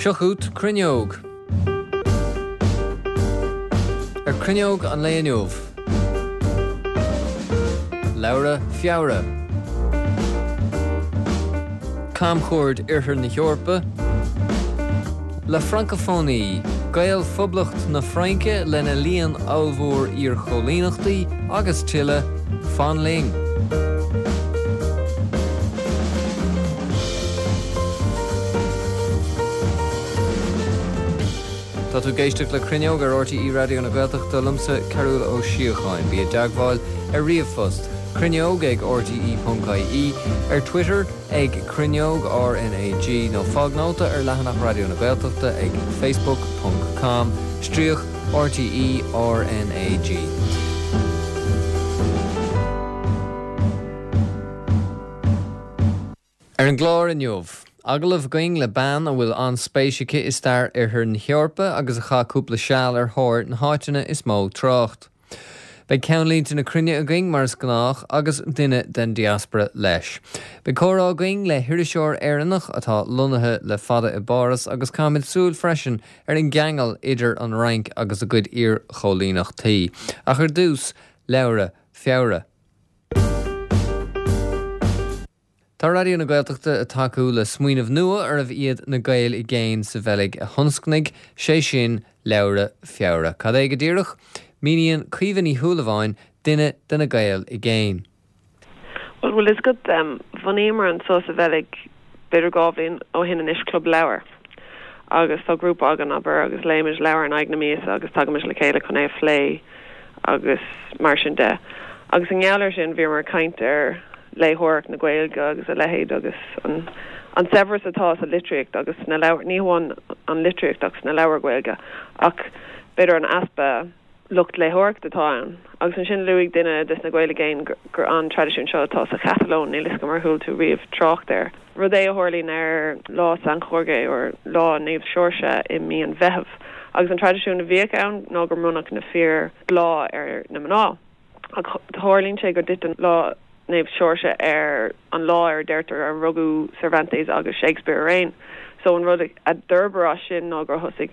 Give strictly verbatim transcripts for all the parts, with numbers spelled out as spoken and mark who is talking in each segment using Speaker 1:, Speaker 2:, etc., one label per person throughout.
Speaker 1: Seo chugat Cruinneog. Ar Cruinneog an lae inniu. Leabhra Feabhra. Camchuaird Oirthear na hEorpa. La Francophonie, Gaelphoblacht na Fraince lena líon ollmhór iarchoilíneachtaí agus tuilleadh, fan linn. Tá tú ag éisteacht le Cruinneog ar RTÉ Raidió na Gaeltachta liomsa Cearbhall Ó Síocháin. Bí i dteagmháil ar ríomhphost, cruinneog ag rte ponc ie, ar Twitter ag Cruinneog RnaG nó fág nóta ar leathanach Raidió na Gaeltachta ag facebook ponc com stríoc RTÉ RnaG. Ar an gclár inniu, agallamh againn le bean a bhfuil an-spéis aici i stair Oirthear na hEorpa agus a chaith cúpla seal ar thóir na háiteanna is mó trácht. Beidh ceannlínte na cruinne againn mar is gnách agus duine den diaspora leis. Beidh comhrá againn le hiriseoir Éireannach atá lonnaithe le fada i bPáras agus caithfimid súil freisin ar an gceangal idir an Fhrainc agus a gcuid iarchoilíneachtaí. Ach ar dtús, Leabhra Feabhra. Tá Raidió na Gaeltachta ag tacú le smaoineamh nua arbh iad na Gaeil i gcéin sa Bheilg a thionscnaigh, sé sin Leabhra Feabhra. Cad é go díreach? Míníonn Caoimhe Ní Shúilleabháin, duine de na Gaeil i gcéin.
Speaker 2: Bhuel, bhfuil fhios agat, bhunaíomar anseo sa Bheilg b'fhéidir dhá bhliain ó shin anois Club Leabhar agus tá grúpa againn, abair, agus léimid leabhar in aghaidh na míosa agus tagaimid le chéile chun é a phlé agus mar sin de. Agus i ngeall air sin bhíomar ag caint ar léitheoireacht na Gaeilge agus a leithéid agus an an saibhreas atá sa litríocht agus sna leabhair, ní hamháin an litríocht ach sna leabhair Ghaeilge ach b'fhéidir an easpa lucht léitheoireachta atá ann. Agus ansin luaigh duine des na Gaeil i gcéin gur an traidisiún seo atá sa Chatalóin, níl fhios agam ar chuala tú riamh trácht air. Rud é a tharlaíonn ar lá San Jorge or lá Naomh Seoirse i mí an Mheithimh. Agus an traidisiún a bhíodh ann ná go mbronnfadh na fir bláth ar na mná. Ach tarlaíonn sé go dtiteann lá Naomh Seoirse ar an lá ar a deirtear a rugadh Cervantes agus Shakespeare araon. So an rud a d'fhorbair as sin ná gur thosaigh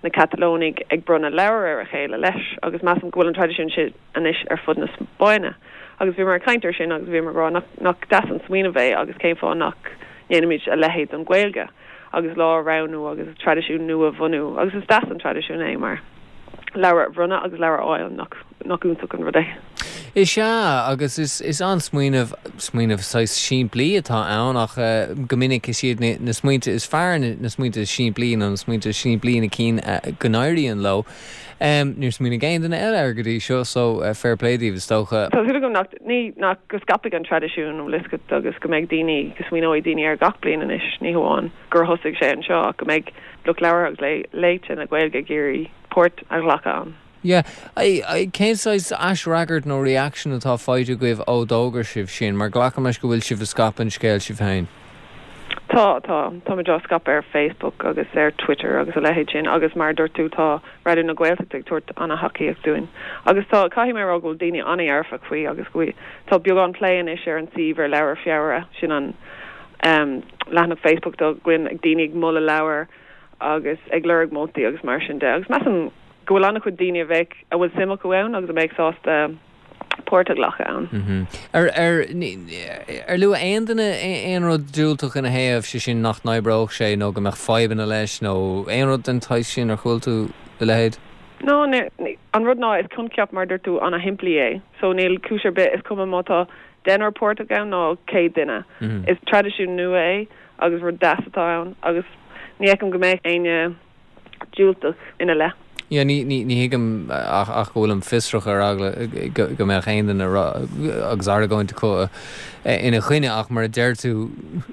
Speaker 2: na Catalónaigh ag bronnadh leabhar ar a chéile leis agus measaim go bhfuil an traidisiún sin anois ar fud na Spáinne. Agus bhíomar ag caint air sin agus bhíomar ag rá nach nach deas an smaoineamh é agus cén fáth nach ndéanaimid a leithéid don Ghaeilge agus lá a roghnú agus traidisiún nua a bhunú agus is deas an traidisiún é mar leabhar a bhronnadh agus leabhar a fháil nach nach iontach an rud é.
Speaker 1: Is ea, agus is is an-smaoineamh, smaoineamh saghas simplí atá ann ach go minic is iad na smaointe is fearr na smaointe is simplí nó na smaointe is simplí na cinn go n-éiríonn leo. Níor smaoinigh aon duine eile air go dtí seo so fair play daoibh is dócha.
Speaker 2: Tá súil agam nach, ní, nach, go scaipfidh an traidisiún, bhfuil fhios agat, agus go mbeidh daoine, go smaoineoidh daoine air gach bliain anois, ní hamháin gur thosaigh sé anseo ach go mbeidh lucht labhartha agus léite na Gaeilge ag iarraidh páirt a ghlacadh ann.
Speaker 1: Yeah. Cén saghas aisfhreagairt nó reaction atá faighte agaibh ó d'fhógair sibh sin? Mar glacaim leis go bhfuil sibh ag scaipeadh an scéil sibh féin.
Speaker 2: Tá, tá. Táimid á scaipeadh ar Facebook agus ar Twitter agus a leithéid sin agus mar a dúirt tú tá Raidió na Gaeltachta ag tabhairt an-thacaíocht dúinn. Agus tá, caithfidh mé a rá go bhfuil daoine an-dhearfach faoi agus go bhfuil, tá beagán plé anois ar an suíomh ar Leabhar Feabhra, sin an leathanach Facebook atá againn, ag daoine ag moladh leabhar agus ag lorg moltaí agus mar sin de. Agus measaim go bhfuil an-chuid daoine a bheadh, a bhfuil suim acu ann agus a mbeadh sásta páirt a ghlacadh
Speaker 1: ann. Ar, ar, ar luaigh aon duine aon rud diúltach ina thaobh, sé sin nach n-oibreodh sé nó go mbeadh fadhbanna leis nó aon rud den tsaghas sin, ar chuala tú a leithéid?
Speaker 2: No, ní, an rud ná is coincheap mar a dúirt tú an-shimplí é so níl cúis ar bith, is cuma má tá deichniúr páirteach ann nó céad duine. Is traidisiún nua é agus rud deas atá ann agus ní fheicim go mbeadh éinne diúltach ina leith.
Speaker 1: Yeah, ní, ní, ní thuigim ach, ach go bhfuilim fiosrach ar eagla go, go mbeadh aon duine agus argóint acu ina choinne ach mar a deir tú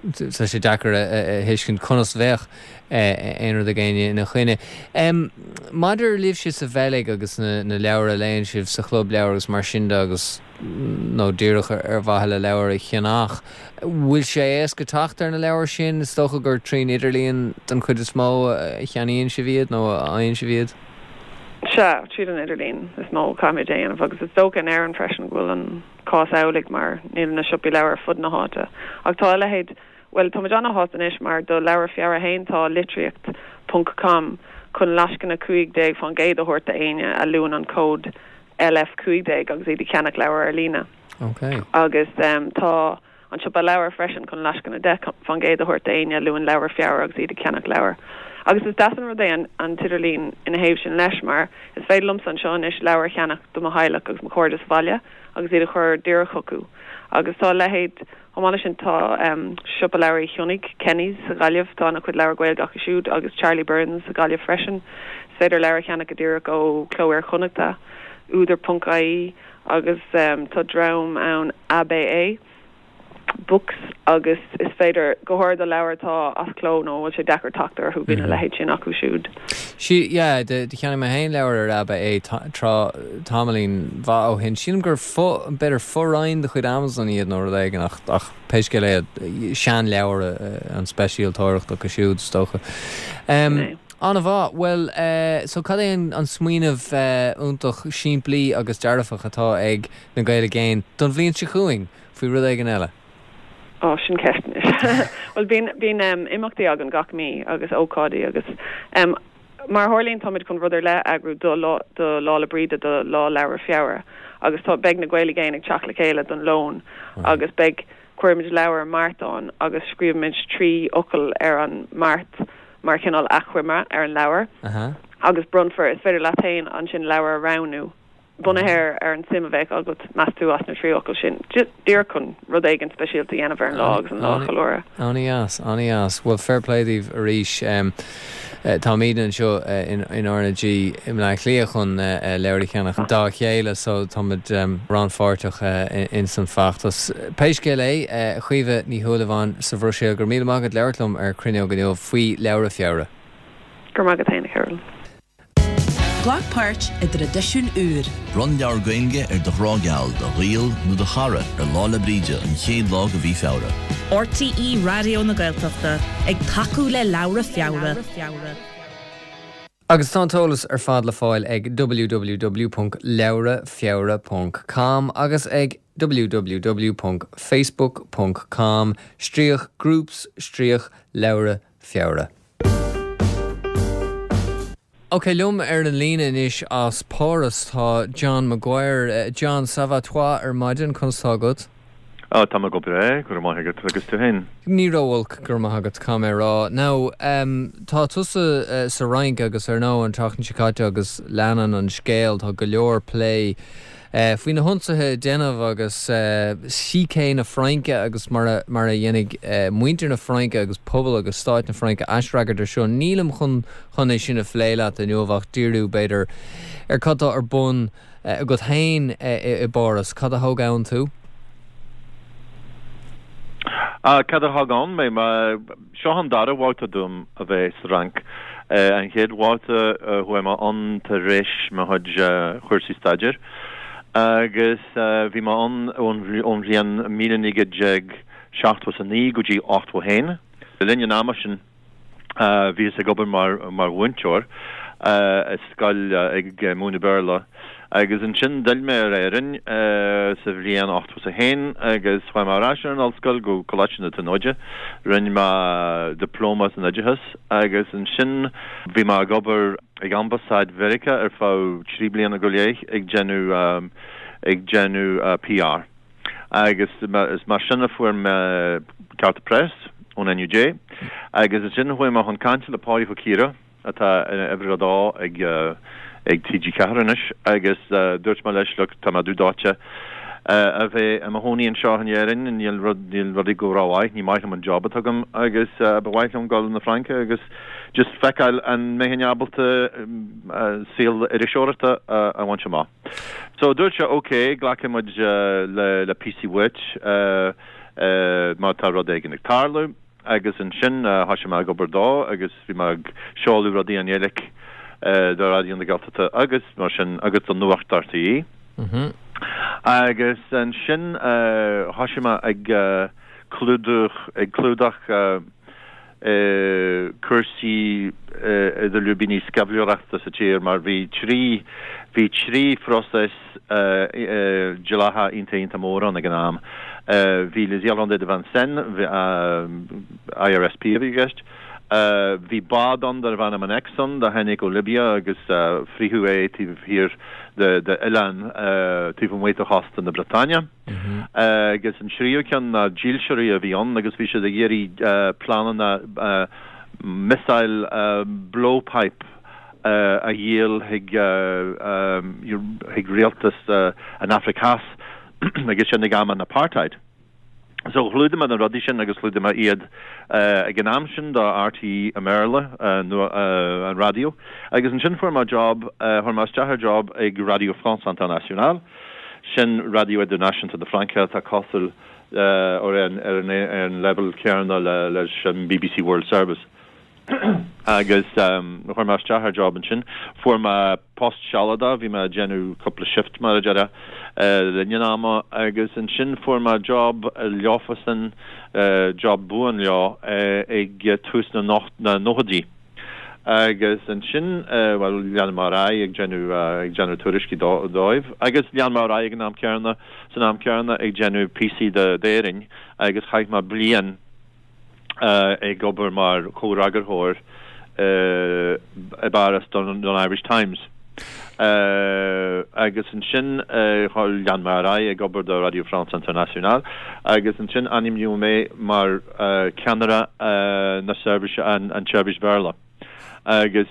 Speaker 1: tá sé deacair a, a thuiscint conas bheadh aon rud ag éinne ina choinne. Maidir libhse sa Bheilg agus na, na leabhair a léann sibh sa chlub leabhar agus mar sin de agus nó díreach ar mhaithe le leabhar a cheannach. Bhfuil sé éasca teacht ar na leabhair sin? Is dócha gur trín idirlíon den chuid is mó a cheannaíonn sibh iad nó a fhaigheann sibh iad?
Speaker 2: Sea, tríd an idirlíon is mó a chaithfimid é a dhéanamh agus is dócha in Éirinn freisin go bhfuil an cás amhlaidh mar níl na siopaí leabhar ar fud na háite. Ach tá a leithéid, bhuel, táimid an-shásta anois mar do Leabhar Feabhra féin tá litríocht ponc com chun lascaine cúig déag faoin gcéad a thabhairt d'éinne a luann an cód L F cúig déag agus iad ag ceannach leabhar ar líne.
Speaker 1: Okay.
Speaker 2: Agus um, tá an siopa leabhar freisin chun lascaine deich faoin gcéad a thabhairt d'éinne a luann leabhar Feabhra agus iad ag ceannach leabhar. Agus is deas an rud é an, an t-idirlíon ina thaobh sin leis, mar is féidir liomsa anseo anois leabhar a cheannach do mo theaghlach agus mo chairde sa bhaile agus iad a chur díreach chucu. Agus tá leithéid chomh maith sin, tá um, siopa leabhar Chionnaigh, Kenny's sa Ghaillimh, tá a chuid leabhar Gaeilge acu siúd, agus Charlie Burns sa Ghaillimh freisin. Is féidir leabhar a cheannach go díreach ó Cló Iar-Chonnachta, údar ponc I E, agus um, tá dream ann, A B A Books, agus is féidir go háirithe do leabhar atá as cló nó bhfuil sé deacair teacht orthu, bíonn a leithéid sin acu siúd.
Speaker 1: Sí, yeah, de de cheannaigh mé féin leabhar ar A B A trá tamaillín mhaith ó shin. Sílim gur fo b'fhéidir fo-roinn de chuid Amazon iad nó rud éigin, ach ach pé scéal é, seanleabhar an speisialtóireacht acu siúd, is dócha. Um, An-mhaith. Well, uh, so cad é an, an smaoineamh uh, iontach simplí agus dearfach atá ag na Gaeil i gCéin don bhliain seo chugainn faoi rud éigin eile?
Speaker 2: Ó, sin ceist. Well, bíonn bíonn um, imeachtaí againn gach mí agus ócáidí, agus um, mar tharlaíonn, táimid chun rud ar leith a eagrú do lá do Lá 'le Bríde, do Lá Leabhar Feabhra, agus tá beidh na Gaeil i gCéin ag teacht le chéile don lón agus beidh cuirfimid leabhar mairtán agus scríobfaimid trí fhocal ar an mart mar chineál achoimre ar an leabhar
Speaker 1: uh -huh.
Speaker 2: agus bronnfar, is féidir leat féin ansin leabhar a roghnú bunaithe ar an suim a bheith agat, meas tú, as na trí fhocal sin, díreach chun rud éigin speisialta a dhéanamh ar an lá agus an lá a cheiliúradh.
Speaker 1: An-deas, an-deas. Well, fair play daoibh arís. um, uh, Táimid anseo uh, in, in R N G i mBleá Cliath chun uh, uh, leabhar a cheannach dá chéile, so táimid um, rannpháirteach uh, in, in san feachtas. Pé scéal é, uh, Caoimhe Ní Shúilleabháin sa Bhruiséil, gur míle maith agat labhairt liom ar Cruinneog inniu faoi Leabhra Feabhra.
Speaker 2: Gur maith agat, Carol.
Speaker 3: Glac páirt i dtraidisiún úr.
Speaker 4: Bronn leabhar Gaeilge ar do ghrá geal, do ghaol nó do chara ar Lá 'le Bríde, an chéad lá de mhí Feabhra.
Speaker 3: R T E Raidió na Gaeltachta ag tacú le Leabhra Feabhra.
Speaker 1: Agus tá an t-eolas ar fad le fáil ag W W W ponc leabhrafeabhra ponc com agus ag W W W ponc facebook ponc com stríoc groups stríoc leabhra feabhra. Ok, liom ar an líne anois as Páras tá John Maguire. uh, John, ça va toi ar maidin? Conas tá agat?
Speaker 5: Á, tá go breá, go maith agat, agus tú féin?
Speaker 1: Ní ró-olc, go maith agat, cá mé rá. Now, um, tá tusa uh, sa Fhrainc agus ar nó an tseachtain seo caite agus leanann an scéal, tá go leor plé Uh, faoi na hionsaithe déanamh agus uh, sícé na Fraince agus mar a, mar a dhéanfaidh uh, muintir na Fraince agus pobal agus stáit na Fraince aisfhreagairt air seo. Nílim chun chun é sin a phlé leat inniu ach díriú b'fhéidir ar cad tá ar bun uh, agat féin uh, i bPáras. Cad a thóg ann tú?
Speaker 5: Uh, cad a thóg ann mé, seo an dara babhta dom a bheith sa Fhrainc. Uh, an chéad bhabhta uh, chuaigh mé ann tar éis mo chuid uh, chúrsaí staidéir. Agus uh, bhí mé ann ón bhliain míle naoi déag seachtó a naoi go dtí ochtó haon. Le linn an ama sin uh, bhíos ag obair mar mar mhúinteoir uh, scoil uh, ag uh, múineadh Béarla. Agus ansin d'fhill mé ar Éirinn uh, sa bhliain ochtó a haon agus chuaigh mé ar ais ar an ollscoil go Coláiste na Tríonóide, rinne mé dioplóma san oideachas, agus ansin bhí mé ag obair ag ambasáid Mheiriceá ar feadh trí bliana go leith ag déanamh um, ag déanamh uh, P R. Agus is mar sin a fuair mé cárta preis ón N U J, agus ansin chuaigh mé chun cainte le Páidí Ó Ciardha, atá uimhir a dó ag uh, ag T G Ceathair anois, agus uh, dúirt mé leis, "Look, tá mé dúdáite uh, a bheith i mo chónaí anseo in Éirinn, níl rud níl rudaí go rómhaith, ní maith liom an job atá agam agus uh, ba mhaith liom dul na Fraince agus just feiceáil an mbeinn ábalta um, uh, saol iriseoireachta uh, a bhaint amach." So dúirt sé, "Ok, glacfaidh muid uh, le le píosaí uait uh, uh, má tá rud éigin ag tarlú." Agus ansin uh, thosaigh mé ag obair dó agus bhí mé ag seoladh rudaí i nGaeilge uh, do Raidió na Gaeltachta agus mar sin agus do Nuacht R T E.
Speaker 1: Mm -hmm.
Speaker 5: Agus ansin uh, thosaigh mé ag uh, clúdach ag clúdach uh, uh, cúrsaí uh, idir lúibíní sceimhlitheoireachta sa tír, mar bhí trí bhí trí phróiseas uh, uh, dleathach iontach iontach mór ann ag an am. Uh, bhí Les Irlandais de Vincennes, uh, I R S P a bhí i gceist, Bhí bád ann darbh ainm an Exxon a tháinig ó Libia agus frítheadh é taobh thiar de oileán taobh amuigh de chósta na Breataine. Agus an tríú ceann ná dílseoirí a bhí ann agus bhí siad ag iarraidh pleananna missile blowpipe a dhíol chuig chuig rialtas an Afraic Theas agus sin ag am an apartheid. So chlúdaigh mé na rudaí sin agus chlúdaigh mé iad ag an am sin do RTÉ i mBéarla nó an raidió. Agus ansin fuair mé job, chuir mé isteach ar job ag Radio France Internationale, sin raidió idirnáisiúnta na Fraince atá cosúil ar an ar an leibhéal céanna leis an BBC World Service. Agus chuir mé isteach ar job ansin. Fuair mé post sealadach, bhí mé ag déanamh cúpla shift mar a déarfá le linn an ama agus ansin fuair mé job leofasan, job buan leo ag tús na na nóchaidí. Agus ansin, bhuel, lean mé ar aghaidh ag déanamh ag déanamh tuairiscí dóibh agus lean mé ar aghaidh ag an am céanna, san am céanna ag déanamh píosaí d'Éirinn agus chaith mé bliain ag obair mar chomhfhreagarthóir i bPáras don Irish Times. Agus ansin lean mé ar aghaidh ag obair do Radio France Internationale agus ansin ainmníodh mé mar cheannaire na seirbhíse, an tseirbhís Bhéarla. Agus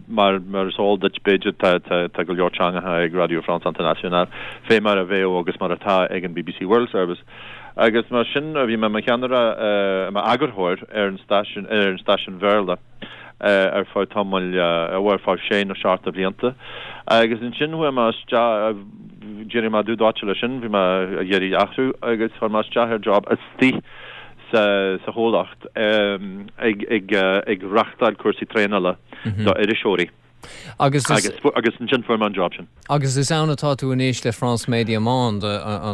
Speaker 5: mar mar is eol duit b'fhéidir tá tá go leor teangacha ag Radio France Internationale fé mar a bheadh agus mar atá ag an BBC World Service. Agus mar sin bhí mé i mo cheannaire, i m'eagarthóir ar an stáisiún, ar an stáisiún Bhéarla ar feadh tamaill, ar feadh sé nó seacht de bhlianta. Agus ansin chuaigh mé isteach, d'éirigh mé dubh dóite leis sin, bhí mé ag iarraidh athrú agus chuir mé isteach ar job istigh sa sa chomhlacht ag ag ag reachtáil cúrsaí traenála do iriseoirí.
Speaker 1: Agus
Speaker 5: is agus ansin fuair mé an job sin.
Speaker 1: Agus is ann atá tú anois le France Media Monde?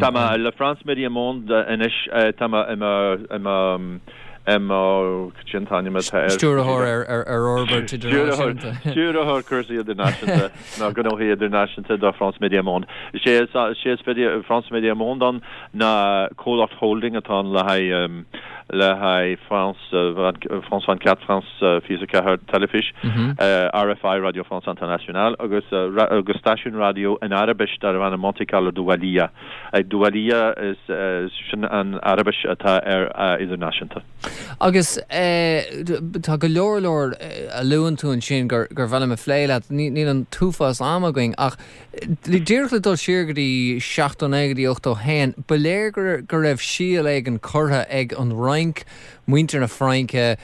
Speaker 5: Tá mé le France Media Monde anois, tá mé i mo i mo i mo cad sin t-ainm atá air?
Speaker 1: Stiúrthóir ar ar ar fhorbairt idirnáisiúnta.
Speaker 5: Stiúrthóir cúrsaí idirnáisiúnta nó gnóthaí idirnáisiúnta do France Media Monde. Is é is é is France Media Monde ann ná comhlacht holding atá ann le haghaidh le haghaidh France France vingt-quatre, France fiche a ceathair Teilifís, RFI, Radio France Internationale, agus agus stáisiún raidió in Araibis darb ainm Monte Carlo Doualiya. Doualiya is sin an Araibis atá ar idirnáisiúnta.
Speaker 1: Agus tá go leor leor a luann tú ansin gur gur mhaith liom a phlé leat, níl an t-uafás ama againn ach díreach le dul siar go dtí seachtó naoi go dtí ochtó haon, ba léir go raibh síol éigin curtha ag an Fhrainc, muintir na Fraince,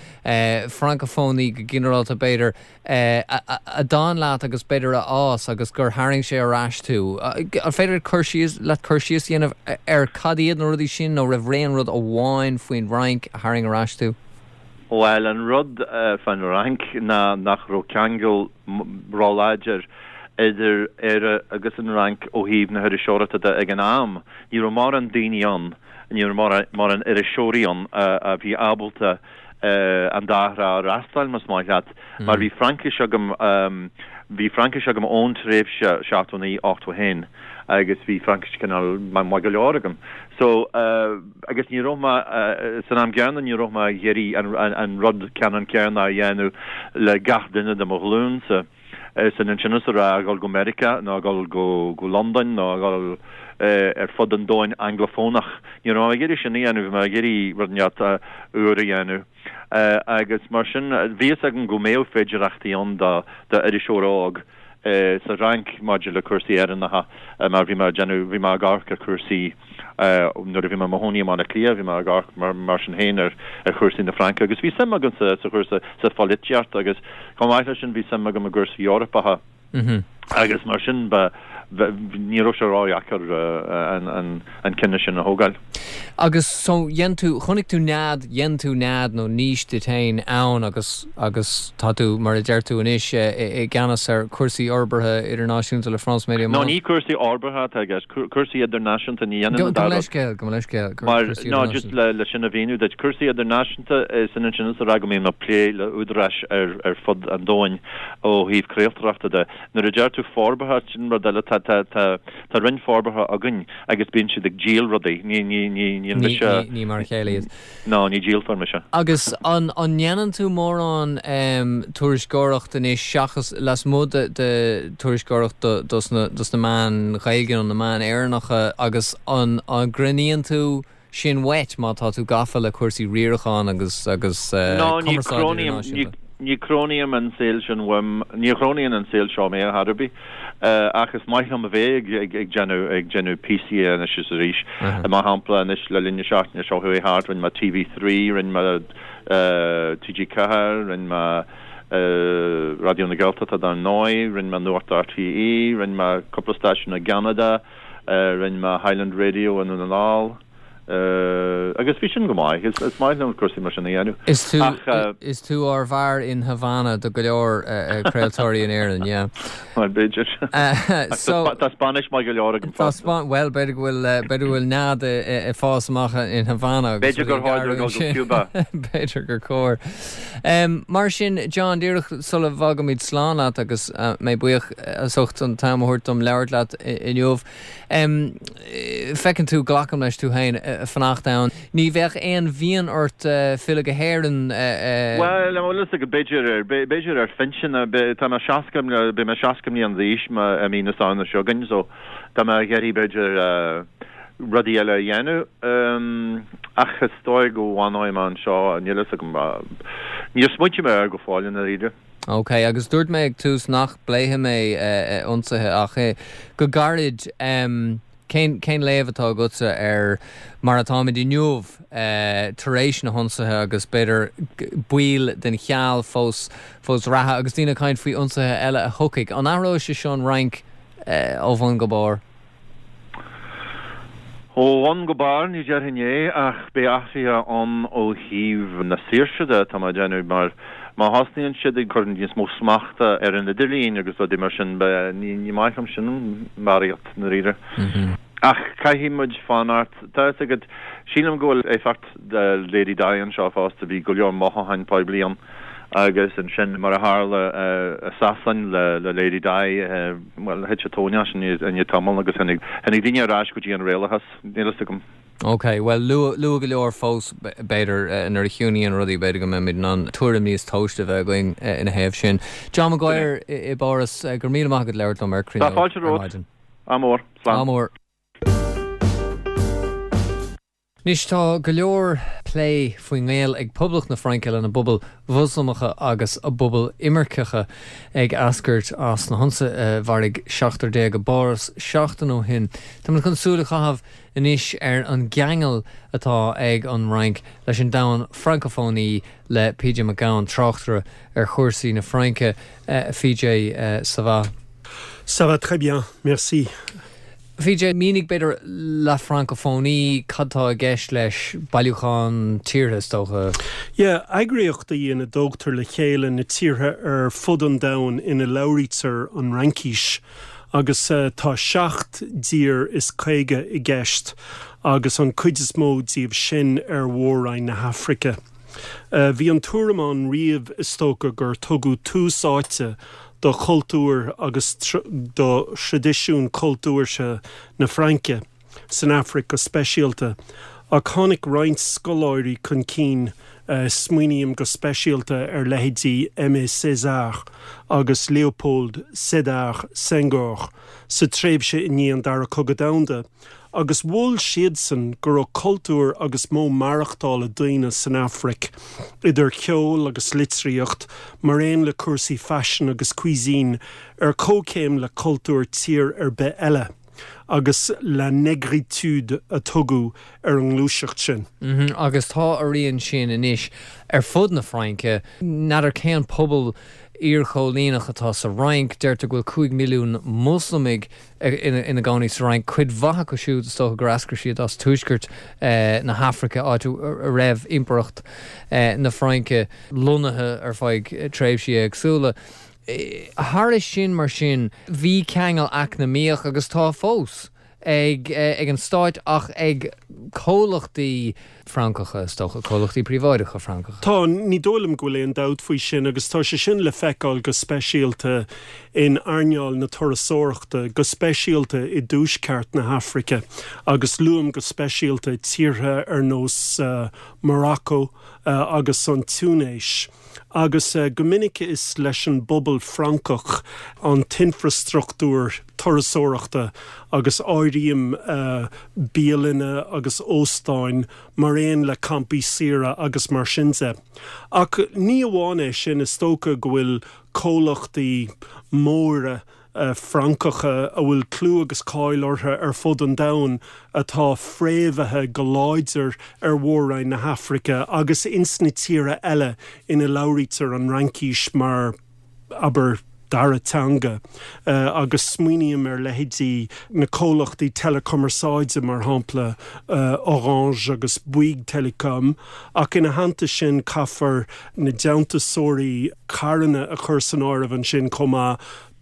Speaker 1: Francafónaí go ginearálta b'fhéidir, a d'fhan leat agus b'fhéidir a fhás agus gur tharraing sé ar ais tú. An féidir cur síos leat cur síos a dhéanamh ar cad iad na rudaí sin nó raibh aon rud amháin faoin bhFrainc a tharraing ar ais tú?
Speaker 5: Bhuel, an rud fán Fhrainc ná nach raibh ceangal róláidir idir Éire agus an Fhrainc ó thaobh na hiriseoireachta de ag an am. Ní raibh mórán daoine ann, ní raibh mórán iriseoirí ann a bhí ábalta an dá thrá a fhreastal, más maith leat, mar bhí Fraincis agam, bhí Fraincis agam ón tréimhse seachtó naoi, ochtó haon agus bhí Fraincis cineál maith go leor agam. So, agus ní raibh mé, san am gcéanna ní raibh mé ag iarraidh an rud ceannann céanna a dhéanamh le gach duine de mo ghlúinsa. Sin ansin is a rá a dhul go Meiriceá nó a dhul go go Londain nó a dhul ar fud an domhain anglafónach. Ní raibh mé ag iarraidh sin a dhéanamh, bhí mé ag iarraidh rud inteacht úr a dhéanamh. Agus mar sin, bhí fhios agam go mbeadh féidireachtaí ann do d'iriseoir óg sa Fhrainc maidir le cúrsaí Éireannacha mar bhí mé ag déanamh, bhí mé ag amharc ar chúrsaí nuair a bhí mé i mo chónaí i mBaile Átha Cliath, bhí mé ag amharc mar mar sin féin ar ar chúrsaí na Fraince agus bhí suim agam sa sa chúrsa sa pholaitíocht agus chomh maith leis sin bhí suim agam i gcúrsaí Eorpacha agus mar sin ba ní raibh sé ródheacair an an an cinneadh sin a thógáil.
Speaker 1: Agus so dhein tú, chonaic tú nead, dhein tú nead nó niche duit féin ann agus agus tá tú, mar a deir tú anois, i gceannas ar chúrsaí fhorbartha idirnáisiúnta le France Media
Speaker 5: No ní cúrsaí fhorbartha atá i gceist, cúrsaí idirnáisiúnta ní dhéanann an
Speaker 1: dá rud. Gabh mo leithscéal, gabh mo leithscéal,
Speaker 5: Mar, no just le le sin a mhíniú duit, cúrsaí idirnáisiúnta is ionann sin is a rá go mbím ag plé le údaráis ar ar fud an domhain ó thaobh craoltóireachta de. Nuair a deir tú forbartha, sin rud eile, tá tá tá tá roinn forbartha againn agus bíonn siad ag díol rudaí, ní ní ní Níl mise.
Speaker 1: Ní mar a chéile iad.
Speaker 5: Ná, ní díoltóir mise.
Speaker 1: Agus an ndéanann tú mórán tuairisceoireacht anois seachas lasmuigh de de tuairisceoireacht dos na dos na meáin Ghaeilge nó na meáin Éireannacha agus an an gcronaíonn tú sin uait má tá tú gafa le cúrsaí riaracháin agus agus
Speaker 5: cumarsáid idirnáisiúnta? Ní chronaím an saol sin uaim, ní chronaíonn an saol seo mé ar chor ar bith, ach is maith liom a bheith ag ag déanamh ag déanamh píosaí anois is arís. Mar shampla anois le linn na seachtaine seo chuaigh thart rinne mé TV Three, rinne mé TG Ceathair, rinne mé Raidió na Gaeltachta dar ndóigh, rinne mé Nuacht RTÉ, rinne mé cúpla stáisiún i gCeanada, rinne mé Highland Radio i nDún na nGall. Agus bhí sin go maith. Is maith liom cúrsaí mar sin a dhéanamh.
Speaker 1: Is tú is tú ár bhfear in Havana do go leor craoltóirí in Éirinn, yeah.
Speaker 5: Bhuel, b'fhéidir. Tá Spáinnis maith go leor agam fosta.
Speaker 1: Bhuel, b'fhéidir go bhfuil b'fhéidir go bhfuil nead ag fás amach in Havana
Speaker 5: agus B'fhéidir gur chóir dul go Cuba.
Speaker 1: B'fhéidir gur chóir. Mar sin, John, díreach sula bhfágaimid slán leat agus mé buíoch as ucht an t-am a thabhairt dom labhairt leat inniu, Feiceann tú, glacaim leis, tú féin ag fanacht ann. Ní bheadh aon mhian ort filleadh go hÉirinn?
Speaker 5: Bhuel, an bhfuil fhios agat, b'fhéidir ar, b'fhéidir ar phinsean, tá mé seasca, beidh mé seasca mbliana d'aois i mí na Samhna seo chugainn, so tá mé ag iarraidh b'fhéidir rudaí eile a dhéanamh. Ach is dóigh go bhfanóidh mé anseo, níl fhios agam, níor smaointigh mé air go fóill i ndáiríre.
Speaker 1: Ok, agus dúirt mé ag tús nach bpléifidh mé ionsaithe ach go gairid, cén cén léamh atá agatsa ar mar atáimid inniu tar éis na hionsaithe agus b'fhéidir baol den cheal fós fós reatha agus daoine ag caint faoi ionsaithe eile a thiocfaidh. An athróidh sé seo an Fhrainc ó bhun go barr?
Speaker 5: Ó bhun go barr, ní déarfainn é, ach beidh athruithe ann ó thaobh na saoirse de, tá mé ag déanamh, mar má thosnaíonn siad ag cur níos mó smachta ar an idirlíon agus rudaí mar sin, ní maith liom sin barraíocht, i ndáiríre. Ach caithfidh muid fanacht. Tá fhios agat, sílim go bhfuil éifeacht Lady Di anseo fosta, bhí go leor mothúcháin poiblí ann. Agus ansin, mar a tharla i Sasain le Lady Di, bhuel, thit an tóin as i ndiaidh tamaill agus tháinig daoine ar ais go dtí an réalachas, níl fhios agam.
Speaker 1: Ok, bhuel, luath go leor fós, b'fhéidir, nuair a chiúnaíonn rudaí, b'fhéidir go mbeimid in ann tuairim níos tomhaiste a bheith againn ina thaobh sin. John Maguire i bPáras, go raibh míle maith agat labhairt liom ar Cruinneog
Speaker 5: Tá fáilte romhat. Ádh mór. Slán.
Speaker 1: Ádh mór. Anois tá go leor plé faoin ngaol ag Poblacht na Fraince lena bpobail Mhoslamacha agus a bpobail imirceacha ag eascairt as na hionsaithe a mharaigh seachtar déag i bPáras seachtain ó shin. Táimid chun súil a chaitheamh anois ar an gceangal atá ag an Fhrainc leis an domhan Francafónaí le PJ Mac Gabhann, tráchtaire ar chúrsaí na Fraince. PJ, ça va?
Speaker 6: Ça va très bien, merci.
Speaker 1: PJ, mínigh b'fhéidir la francophonie, cad tá i gceist leis, bailiúchán tíortha is dócha?
Speaker 6: Yeah, eagraíocht í ina dtógtar le chéile na tíortha ar fud an domhain ina labhraítear an Fhraincis agus tá seacht dtír is caoga i gceist agus an cuid is mó díobh sin ar mhór-roinn na hAfraice. Bhí an tuairim ann riamh is dócha gur tugadh tús áite do chultúr agus do thraidisiún cultúrtha na Fraince, san Afraic go speisialta, ach tháinig roinnt scoláirí chun cinn, smaoiním go speisialta ar leithéidí Aimé Césaire agus Léopold Sédar Senghor, sa tréimhse i ndiaidh an Dara Cogadh Domhanda, agus mhol siadsan go raibh cultúr agus modh maireachtála daoine san Afraic, idir cheol agus litríocht, mar aon le cúrsaí faisin agus cuisine, ar comhchéim le cultúr tír ar bith eile. Agus la négritude a tugadh ar an ngluaiseacht sin.
Speaker 1: Agus tá a rian sin anois ar fud na Fraince. N'fheadar cén pobal iarchoilíneach atá sa Fhrainc. Deirtear go bhfuil cúig milliún Moslamaigh ina gcónaí sa Fhrainc, cuid mhaith acu siúd is dócha gur eascair siad as tuaisceart na hAfraice, áit a raibh Impireacht na Fraince lonnaithe ar feadh tréimhsí éagsúla. Thairis sin, mar sin, bhí ceangal eacnamaíoch, agus tá fós, ag an stáit ach ag comhlachtaí Francacha, is dócha, comhlachtaí príobháideacha Francacha.
Speaker 6: Tá, ní dóigh liom go bhfuil aon dabht faoi sin agus tá sé sin le feiceáil go speisialta in earnáil na turasóireachta, go speisialta i dtuaisceart na hAfraice agus luaim go speisialta tíortha ar nós Morocco agus an Túinéis. Agus go minic is leis an bpobal Francach an t-infreastruchtúr turasóireachta agus áirím bialanna agus óstáin mar aon le campaí saoire agus mar sin de. Ach ní amháin é sin, is dócha go bhfuil comhlachtaí móra Francacha a bhfuil clú agus cáil orthu ar fud an domhain atá fréamhaithe go láidir ar mhór-roinn na hAfraice agus ins na tíortha eile ina labhraítear an Fhraincis mar, abair, dara teanga agus smaoiním ar leithéidí na comhlachtaí teileachumarsáide, mar shampla Orange agus Bouygues Telecom, ach ina theannta sin caithfear na déantúsóirí carranna a chur san áireamh ansin chomh maith,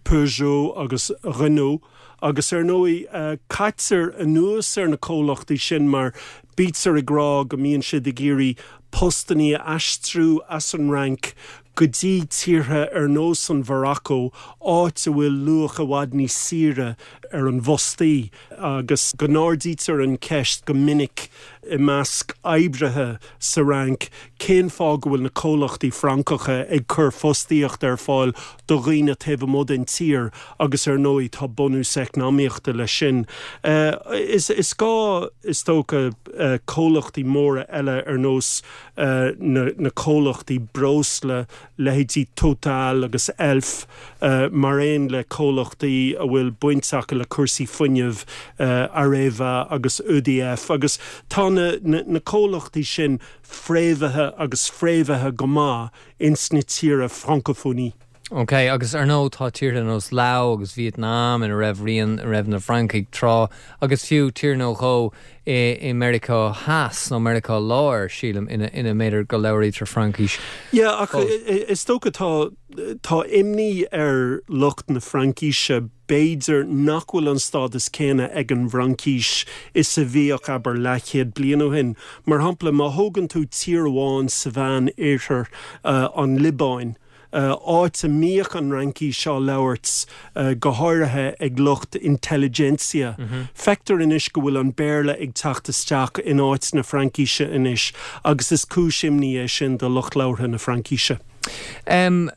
Speaker 6: Peugeot agus Renault, agus ar ndóigh caitear anuas ar na comhlachtaí sin mar bítear ag rá go mbíonn siad ag iarraidh postannaí a aistriú as an Fhrainc go dtí tíortha ar nós an Mharacó, áit a bhfuil luach i bhfad níos saoire ar an bhfostaí, agus go n-ardaítear an cheist go minic i measc oibrithe sa Fhrainc cén fáth go bhfuil na comhlachtaí Francacha ag cur fostaíocht ar fáil do dhaoine taobh amuigh den tír agus ar ndóigh tá bunús eacnamaíochta leis sin. Is is gá is dócha comhlachtaí móra eile ar nós na na comhlachtaí breosla, leithéidí Total agus Elf, mar aon le comhlachtaí a bhfuil baint acu le cúrsaí fuinnimh, Areva agus EDF, agus tá na na comhlachtaí sin fréamhaithe agus fréamhaithe go maith ins na tíortha Francophonie.
Speaker 1: Ok, agus ar ndóigh tá tíortha nós Lao agus Vietnam ina raibh rian raibh na Francaigh tráth agus fiú tír nó dhó i i Meiriceá Theas nó Meiriceá Láir, sílim, ina ina mb'fhéidir go labhraítear Fraincis.
Speaker 6: Yeah, ach is dócha tá tá imní ar lucht na Fraincise b'fhéidir nach bhfuil an stádas céanna ag an bhFraincis is a bhíodh, abair, leathchéad bliain ó shin. Mar shampla, má thógann tú tír amháin sa Mheán-Oirthear, an Liobáin, áit a mbíodh an Fhraincis á labhairt go háirithe ag lucht intelligentsia, feictear anois go bhfuil an Béarla ag teacht isteach in áit na Fraincise anois agus is cúis imní é sin do lucht labhartha na Fraincise.
Speaker 1: Um,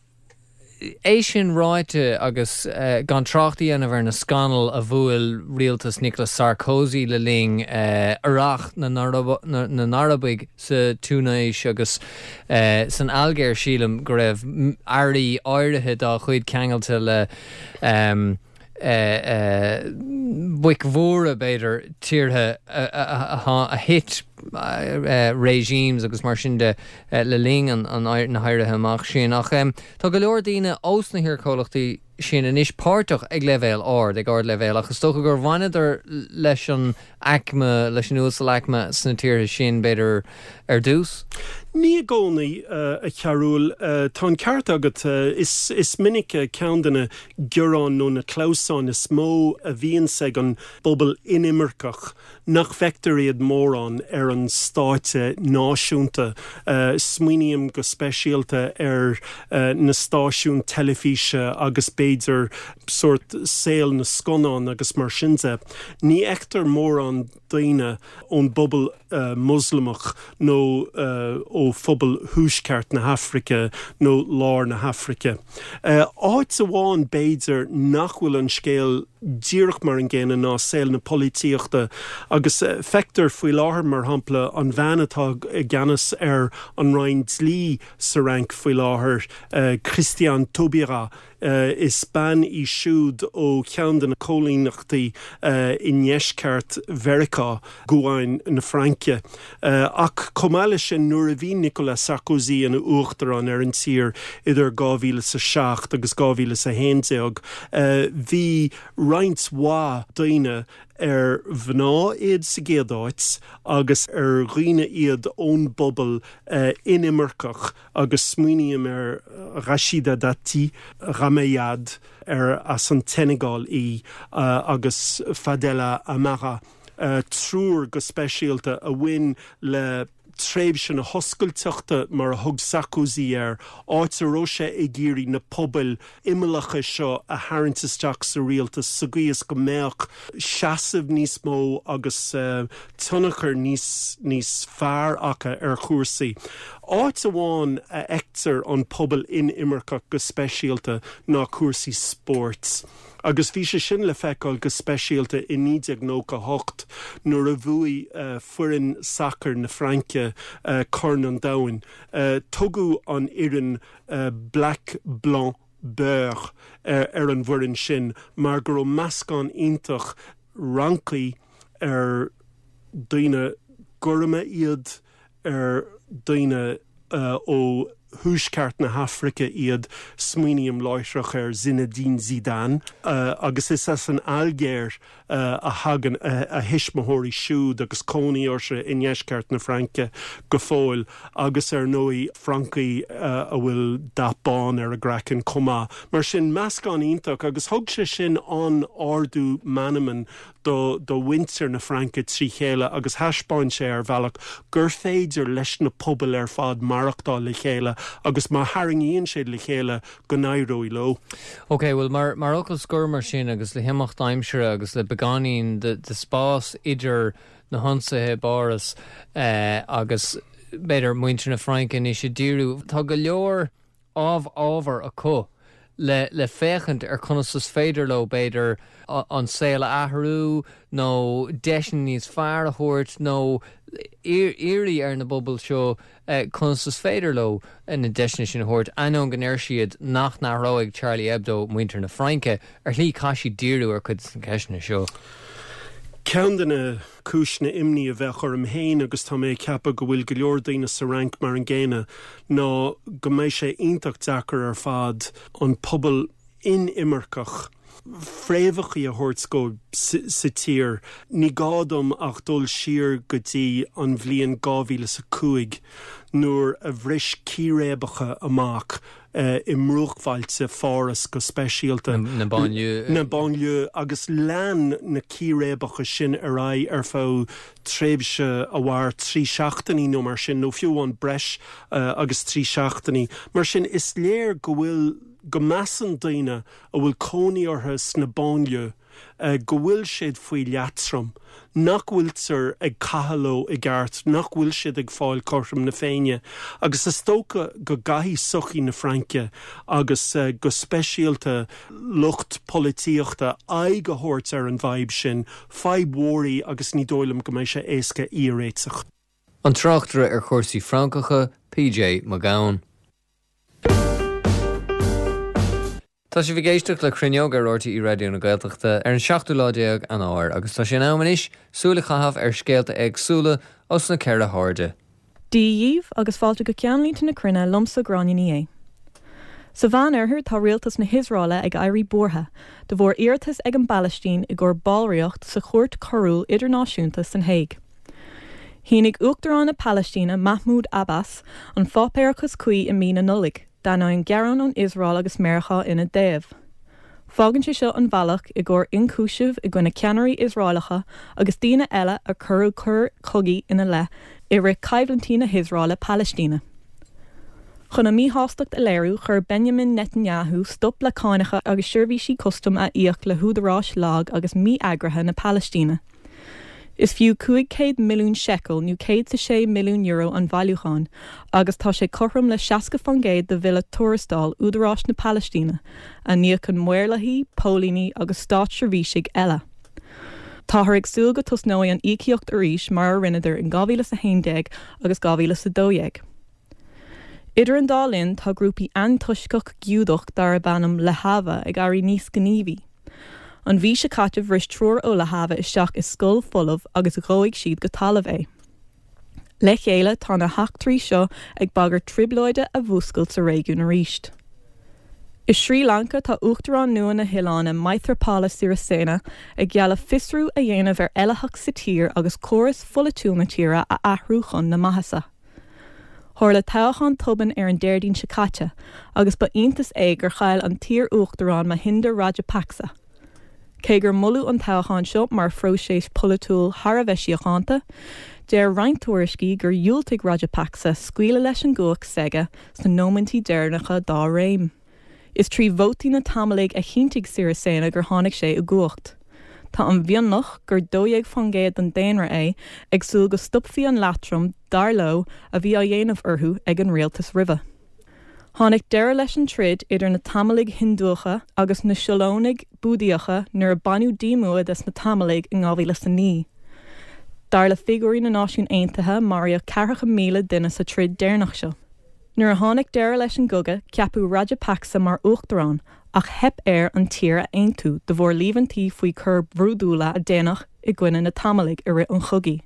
Speaker 1: É sin ráite agus gan trácht a dhéanamh ar na scannail a bhuail rialtas Nicolas Sarkozy le linn Earrach na nArabaigh sa Túinéis agus san Ailgéir, sílim go raibh airí áirithe dá chuid ceangailte le boic mhóra, b'fhéidir, tíortha a thit regimes agus mar sin de le linn na héirithe amach sin. Ach tá go leor daoine ós na hiarchomhlachtaí sin anois páirteach ag leibhéal ard, ag ardleibhéal, ach is dócha gur bhaineadar leis an aicme, leis an uasalaicme sna tíortha sin, b'fhéidir, ar dtús?
Speaker 6: Ní i gcónaí, a Chearúil. Tá an ceart agat. Is is minic ceann de na gearáin nó na clamhsáin is mó a bhíonns ag an bpobal inimirceach nach bhfeictear iad mórán ar an stáitse náisiúnta. Smaoiním go speisialta ar na stáisiúin teilifíse agus b'fhéidir sórt saol na scannán agus mar sin de. Ní fheictear mórán daoine ón bpobal Moslamach nó ó phobal Thuaisceart na hAfraice nó Lár na hAfraice. Áit amháin b'fhéidir nach bhfuil an scéal díreach mar an gcéanna ná saol na polaitíochta agus feictear faoi láthair, mar shampla, an bhean atá i gceannas ar an Roinn Dlí sa Fhrainc faoi láthair, Christiane Taubira, Is bean í siúd ó cheann de na coilíneachtaí i ndeisceart Mheiriceá, Guáin na Fraince. Ach chomh maith leis sin, nuair a bhí Nicolas Sarkozy ina uachtarán ar an tír idir dhá mhíle is a seacht agus dhá mhíle is a haon déag, bhí roinnt mhaith daoine ar mhná iad sa gcéad áit agus ar dhaoine iad ón bpobal inimirceach agus smaoiním ar Rachida Dati, Rama Yade, ar as an tSeineagáil í, agus Fadela Amara, triúr go speisialta a bhain le Tréimhse na hoscailteachta mar a thug Sarkozy air, áit a raibh sé ag iarraidh na pobail imeallacha seo a tharraingt isteach sa rialtas sa gcaoi is go mbeadh seasamh níos mó agus tionchar níos níos fearr acu ar chúrsaí. Áit amháin a fheictear an pobal inimirceach go speisialta ná cúrsaí spóirt. Agus bhí sé sin le feiceáil go speisialta i naoi déag nócha a hocht nuair a bhuaigh foireann sacair na Fraince Corn an Domhain. Tugadh an fhoireann Black Blanc Beurre ar an bhfoireann sin mar go raibh meascán iontach Francaigh ar daoine gorma iad, ar daoine ó Thuaisceart na hAfraice iad, smaoiním láithreach ar Zinedine Zidane, agus is as an Ailgéir a thagann a thuismitheoirí siúd agus cónaí orthu i ndeisceart na Fraince go fóill, agus ar ndóigh Francaigh a bhfuil dath bán ar a gcraiceann chomh maith. Mar sin, meascán iontach agus thug sé sin an-ardú meanman do do mhuintir na Fraince trí chéile agus thaispeáin sé ar bhealach gur féidir leis na pobail ar fad maireachtáil le chéile agus má tharraingíonn siad le chéile go n-éireoidh leo.
Speaker 1: Ok, bhuel mar mar fhocal scoir mar sin agus le himeacht aimsire agus le beagáinín de de spás idir na hionsaithe i bPáras eh, agus b'fhéidir muintir na Fraince anois ag díriú, tá go leor ábhar acu le le féachaint ar conas is féidir leo b'fhéidir an saol a athrú nó deiseanna níos fearr a thabhairt nó iarraidh ar na pobail seo conas is féidir leo na deiseanna sin a thabhairt, ainneoin go ndeir siad nach n-athróidh Charlie Hebdo muintir na Fraince, ar shlí caithfidh siad díriú ar cuid de na ceisteanna seo.
Speaker 6: Ceann de na cúiseanna imní a bheadh orm féin, agus tá mé ag ceapadh go bhfuil go leor daoine sa Fhrainc mar an gcéanna, ná go mbeidh sé iontach deacair ar fad an pobal inimirceach fréamhacha a thabhairt dó sa tír. Ní gá dom ach dul siar go dtí an bhliain dhá mhíle is a cúig nuair a bhris círéibeacha amach i mbruachbhailte Pháras go speisialta.
Speaker 1: Na banlieue.
Speaker 6: Na banlieue agus lean na círéibeacha sin ar aghaidh ar feadh tréimhse a mhair trí seachtainí nó mar sin, nó fiú amháin breis agus trí seachtainí. Mar sin, is léir go bhfuil, go measann daoine a bhfuil cónaí orthu sna banlieue go bhfuil siad faoi leatrom, nach bhfuiltear ag caitheamh leo i gceart, nach bhfuil siad ag fáil cothrom na Féinne. Agus is dócha go gcaithfidh sochaí na Fraince agus go speisialta lucht polaitíochta aghaidh a thabhairt ar an bhfadhb sin, fadhb mhór í agus ní dóigh liom go mbeidh sé éasca í a réiteach.
Speaker 1: An tráchtaire ar chúrsaí Francacha, PJ Mac Gabhann. Tá sibh ag éisteacht le Cruinneog ar RTÉ Raidió na Gaeltachta ar an seachtú lá déag Eanáir agus tá sé in am anois súil a chaitheamh ar scéalta éagsúla os na ceithre hairde.
Speaker 7: Dia dhaoibh agus fáilte go Ceannlínte na Cruinne liomsa Gráinne Ní Aodha. Sa Mheánoirthear tá rialtas na hIosraeile ag éirí buartha de bharr iarratas ag an bPalaistín i gcomhair ballraíocht sa Chúirt Choiriúil Idirnáisiúnta san Hague. Shínigh Uachtarán na Palaistíne Mahmoud Abbas an pháipéarachas cuí i mí na Nollag, d'ainneoin gearán ón Iosrael agus Meiriceá ina dtaobh. Fágann sé seo an bhealach i gcomhair ionchúiseamh i gcoinne ceannairí Iosraelacha agus daoine eile a cuireadh coir chogaidh ina leith i rith coimhlintí na hIosraeile-Palaistíne. Chun a míshástacht a léiriú, chuir Benjamin Netanyahu stop le cánacha agus seirbhísí custaim a íoc le húdaráis lag agus mí-eagraithe na Palaistíne. Is fiú cúig chéad milliún seiceal nó céad is a sé milliún euro an bailiúchán agus tá sé cothrom le seasca faoin gcéad de bhille tuarastail údaráis na Palaistíne, a n-íocann maorlathaí, póilíní agus státseirbhísigh eile. Táthar ag súil go dtosnóidh an íocaíocht arís mar a rinneadar in dhá mhíle is a haon déag agus dhá mhíle is a dó dhéag. Idir an dá linn, tá grúpaí antoisceach Giúdach darb ainm Lehava ag éirí níos gníomhaí. An mhí seo caite bhris triúr ó Lehava isteach i scoil folamh agus dhóigh siad go talamh é. Le chéile tá na heachtraí seo ag bagairt trioblóide a mhúscailt sa réigiún arís. I Srí Lanca tá Uachtarán nua na hoileáin Maithripala Sirisena ag gealladh fiosrú a dhéanamh ar éillitheacht sa tír agus córas pholaitiúil na tíre a athrú chun na maitheasa. Tharla toghchán tobann ar an Déardaoin seo caite agus ba iontas é gur chaill an t-iar-uachtarán Mahinda Rajapaksa. Cé gur moladh an toghchán seo mar phróiseas polaitiúil thar a bheith síochánta, Deir roinnt tuairiscí gur dhiúltaigh Rajapaksa scaoileadh leis an gcumhacht s'aige sna nóiméidí deireanacha dá réim. Is trí vótaí na Tamalaigh a chinntigh Sirisena gur tháinig sé i gcumhacht. Tá an mionlach gur dó dhéag faoin gcéad den daonra é ag súil go stopfaí an leatrom dar leo a bhí á dhéanamh orthu ag an rialtas roimhe. Tháinig deireadh leis an troid idir na Tamalaigh Hiondúcha agus na Siolónaigh Búdaíocha nuair a baineadh díomua des na Tamalaigh in dhá mhíle is a naoi. Dar le figiúirí na Náisiún Aontaithe maraíodh ceathracha míle duine sa troid deireanach seo. Nuair a tháinig deireadh leis an gcogadh, ceapadh Rajapaksa mar uachtarán ach theip air an tír a aontú de bharr líomhaintí faoi choir bhrúidiúla a déanadh i gcoinne na Tamalaigh i rith an chogaidh.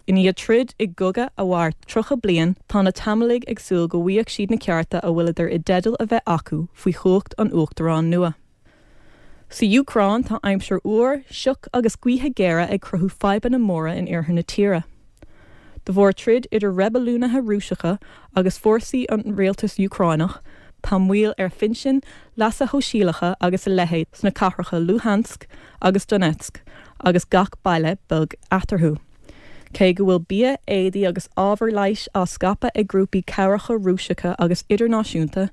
Speaker 7: I ndiaidh troid i gcogadh a mhair tríocha bliain, tá na Tamalaigh ag súil go bhfaighidh siad na cearta a bhfuileadar i dteideal a bheith acu faoi chumhacht an uachtaráin nua. Sa Úcráin, tá aimsir fhuar, sioc agus gaotha géara ag cruthú fadhbanna móra in iarthar na tíre. De bharr troid idir reibiliúnaithe Rúiseacha agus fórsaí an rialtais Úcránach, tá moill ar phinsin, leasa shóisialacha agus a leithéid sna cathracha Luhansk agus Donetsk agus gach baile beag eatarthu. Cé go bhfuil bia, éadaí agus ábhar leighis á scaipeadh ag grúpaí cabhracha Rúiseacha agus idirnáisiúnta,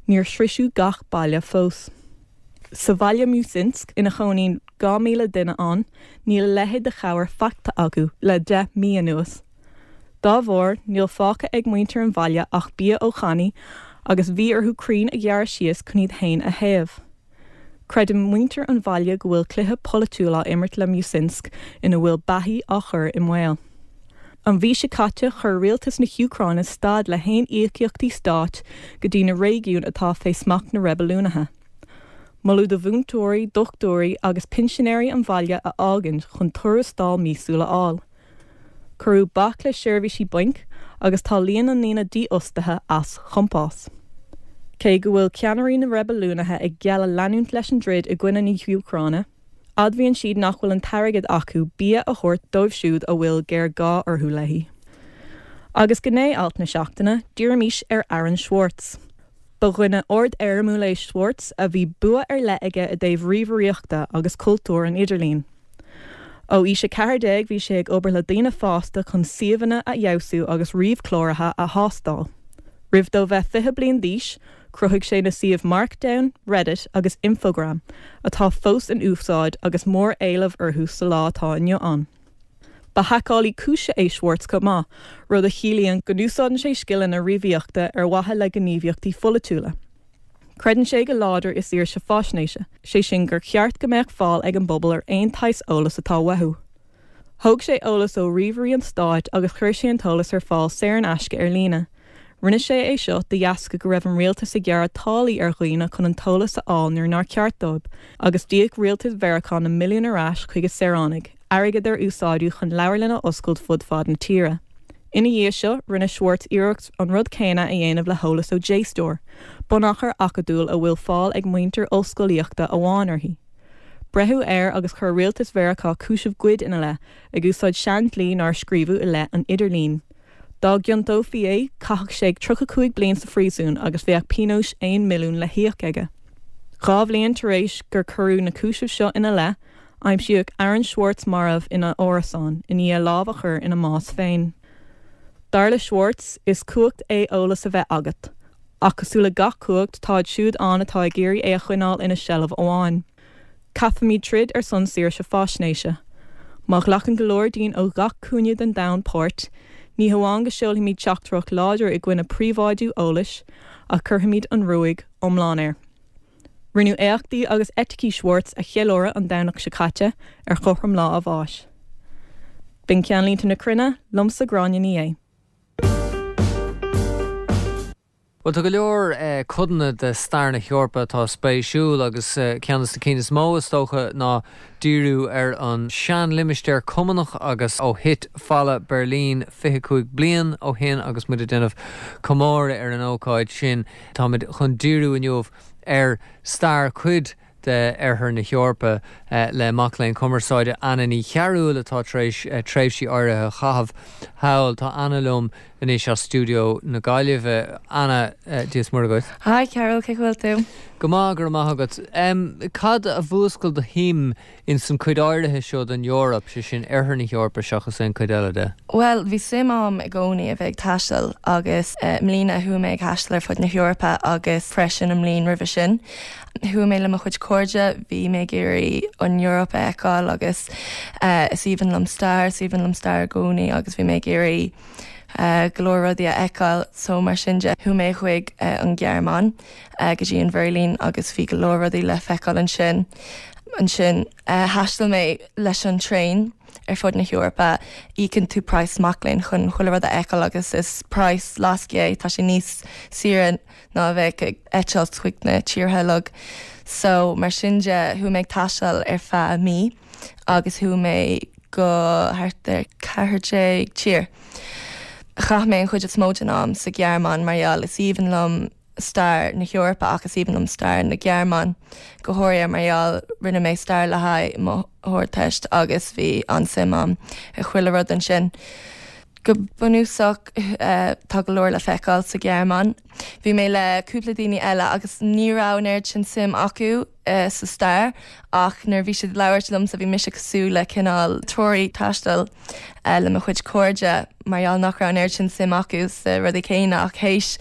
Speaker 7: níor sroicheadh gach baile fós. Sa bhaile Musinsk, ina chónaíonn dhá míle duine ann, níl a leithéid de chabhair faighte acu le deich mí anuas. Dá bharr, níl fágtha ag muintir an bhaile ach bia ó channaí agus bhí orthu crainn a ghearradh síos chun iad féin a théamh. Creideann muintir an bhaile go bhfuil cluiche polaitiúil á imirt le Musinsk ina bhfuil beathaí á chur i mbaol. An mhí seo caite, chuir rialtas na hÚcráine stad le haon íocaíochtaí stáit go dtí na réigiúin atá fé smacht na reibiliúnaithe. Moladh do mhúinteoirí, dochtúirí agus pinsinéirí an bhaile a fhágaint chun tuarastal míosúil a fháil. Cuireadh bac le seirbhísí bainc agus tá líon na ndaoine dífhostaithe as chompás. Cé go bhfuil ceannairí na reibiliúnaithe ag gealladh leanúint leis an dtroid i gcoinne na hÚcráine, admhaíonn siad nach bhfuil an t-airgead acu bia a thabhairt dóibh siúd a bhfuil géarghá orthu léi. Agus gné-alt na seachtaine, dírímis ar Aaron Swartz. Ba dhuine ard-éirimiúil é Swartz a bhí bua ar leith aige i dtaobh ríomhaireachta agus cultúr an idirlín. Ó aois a ceathair déag bhí sé ag obair le daoine fásta chun suíomhanna a fheabhsú agus ríomhchláraithe a thástáil. Roimh dó bheith fiche bliain d'aois, chruthaigh sé na suímh Markdown, Reddit agus Infogram, atá fós in úsáid agus mór-éileamh orthu sa lá atá inniu ann. Ba haiceálaí cúise é Swartz chomh maith, rud a chiallaíonn go n-úsáideann sé scileanna ríomhaireachta ar mhaithe le gníomhaíochtaí pholaitiúla. Creideann sé go láidir i saoirse faisnéise, sé sin gur cheart go mbeadh fáil ag an bpobal ar aon tsaghas eolas atá uathu. Thóg sé eolas ó ríomhairí an stáit agus chuir sé an t-eolas ar fáil saor in aisce ar líne. Rinne sé é seo de dheasca go raibh an rialtas ag gearradh táillí ar dhaoine chun an t-eolas a fháil nuair nár cheart dóibh, agus d'íoc rialtas Mheiriceá na milliúin ar ais chuig a saoránaigh, airgead ar úsáideadh chun leabharlanna a oscailt fud fad na tíre. Ina dhiaidh seo, rinne Swartz iarracht an rud céanna a dhéanamh le heolas ó JSTOR, bunachar acadúil a bhfuil fáil ag muintir ollscolaíochta amháin uirthi. Braitheadh air agus chuir rialtas Mheiriceá cúiseamh goid ina leith, ag úsáid seandlí nár scríobhadh i leith an idirlín. Dá gciontófaí é, chaithfeadh sé tríocha cúig bliain sa phríosún agus bheadh pionós aon milliún le híoc aige. Dhá bhliain tar éis gur cuireadh na cúisimh seo ina leith, aimsíodh Aaron Swartz marbh ina árasán i ndiaidh lámh a chur ina mbás féin. Dar le Swartz, is cumhacht é eolas a bheith agat. Ach cosúil le gach cumhacht, táid siúd ann atá ag iarraidh é a choinneáil ina seilbh amháin. Caithfimid troid ar son saoirse faisnéise. Má ghlacann go leor dínn ó gach cúinne den domhan páirt, ní hamháin go seolfaimid teachtaireacht láidir i gcoinne príobháidiú eolais, ach cuirfimid an ruaig iomlán air. Rinneadh éachtaí agus eiticí Swartz a cheiliúradh an Domhnach seo caite ar chothrom lá a bháis. B'in Ceannlínte na Cruinne, liomsa Gráinne Ní Aodha.
Speaker 1: Bhuel, tá go leor codanna de stair na hEorpa atá spéisiúil agus ceann de na cinn is mó, is dócha, ná díriú ar an seanlimistéar Cumannach agus ó thit Falla Beirlín fiche cúig bliain ó shin agus muid ag déanamh comóradh ar an ócáid sin. Táimid chun díriú inniu ar stair cuid de Oirthear na hEorpa le mac léinn cumarsáide Anna Ní Chearúil atá tar éis tréimhsí áirithe a chaitheamh thall. Tá Anna liom anois as stiúideo na Gaillimhe. Anna, Dia is Muire dhuit.
Speaker 8: Hi Carol, cén chaoi a bhfuil tú?
Speaker 1: Go maith, go raibh maith agat. Cad a mhúscail do shuim in san cuid áirithe seo den Eoraip, sé sin oirthear na hEorpa seachas aon cuid eile de?
Speaker 8: Bhuel, bhí suim agam i gcónaí a bheith ag taisteal agus i mbliana chuaigh mé ag taisteal ar fud na hEorpa agus freisin an mbliain roimhe sin. Chuaigh mé le mo chuid cairde, bhí mé ag iarraidh an Eoraip a fheiceáil agus is aoibhinn liom stair, is aoibhinn liom stair i gcónaí agus bhí mé ag iarraidh go leor rudaí a fheiceáil so mar sin de chuaigh mé chuig an Ghearmáin go dtí an Bheirlín agus bhí go leor rudaí le feiceáil ansin. Ansin thaistil mé leis an traein ar fud na hEorpa, íocann tú praghas mac léinn chun chuile rud a fheiceáil agus is praghas lascaigh é, tá sé níos saoire ná a bheith ag eitilt chuig na tíortha uilig. So mar sin de chuaigh mé ag taisteal ar feadh mí agus chuaigh mé go thart ar ceathair déag tír. Chaith mé an chuid is mó den am sa Ghearmáin mar gheall is aoibhinn liom stair na hEorpa agus is aoibhinn liom stair na Gearmáine go háirithe mar gheall rinne mé stair le haghaidh mo Ardteist agus bhí an-suim agam i chuile rud ansin. Go bunúsach tá go leor le feiceáil sa Ghearmáin. Bhí mé le cúpla daoine eile agus ní raibh an oiread sin suim acu sa stair ach nuair a bhí siad ag labhairt liomsa bhí mise cosúil le cineál treoraí taistil le mo chuid cairde mar gheall nach raibh an oiread sin suim acu sa rudaí céanna ach théis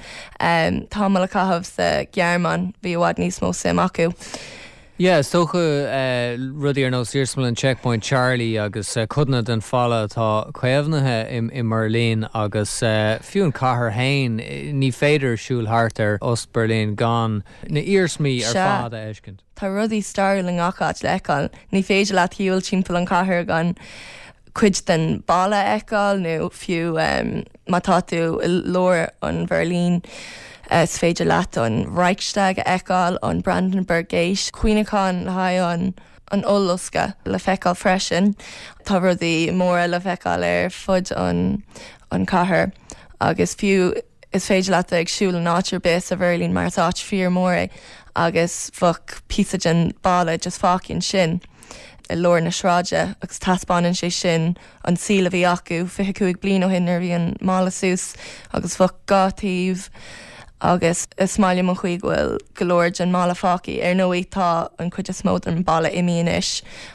Speaker 8: tamall a chaitheamh sa Ghearmáin bhí i bhfad níos mó suim acu.
Speaker 1: Yeah, is dócha rudaí ar nós Iarsmalann Checkpoint Charlie agus codanna den falla atá caomhnaithe i mBerlin agus fiú an cathair féin, ní féidir siúl thart ar Ost-Berlin gan na iarsmaí ar fad a fheiscint.
Speaker 8: Tá rudaí stairiúil i ngach áit le feiceáil. Ní féidir leat shiúl timpeall an chathair gan cuid den balla a fheiceáil nó fiú má tá tú i lár an Bheirlín is féidir leat an Reichstag a fheiceáil, an Brandenburg Gate, cuimhneachán le haghaidh an an ollloscadh le feiceáil freisin. Tá rudaí móra le feiceáil ar fud an an cathair agus fiú is féidir leat ag siúl in áit ar bith sa Bheirlín mar is áit fíor mór é agus bheadh píosa den balla just fágtha ansin i lár na sráide agus taispeánann sé sin an saol a bhí acu fiche cúig bliain ó shin nuair a bhí an mballa suas agus bheadh dhá taobh agus is maith liom an chaoi go bhfuil go leor den mballa fágtha. Ar ndóigh tá an chuid is mó den balla imithe anois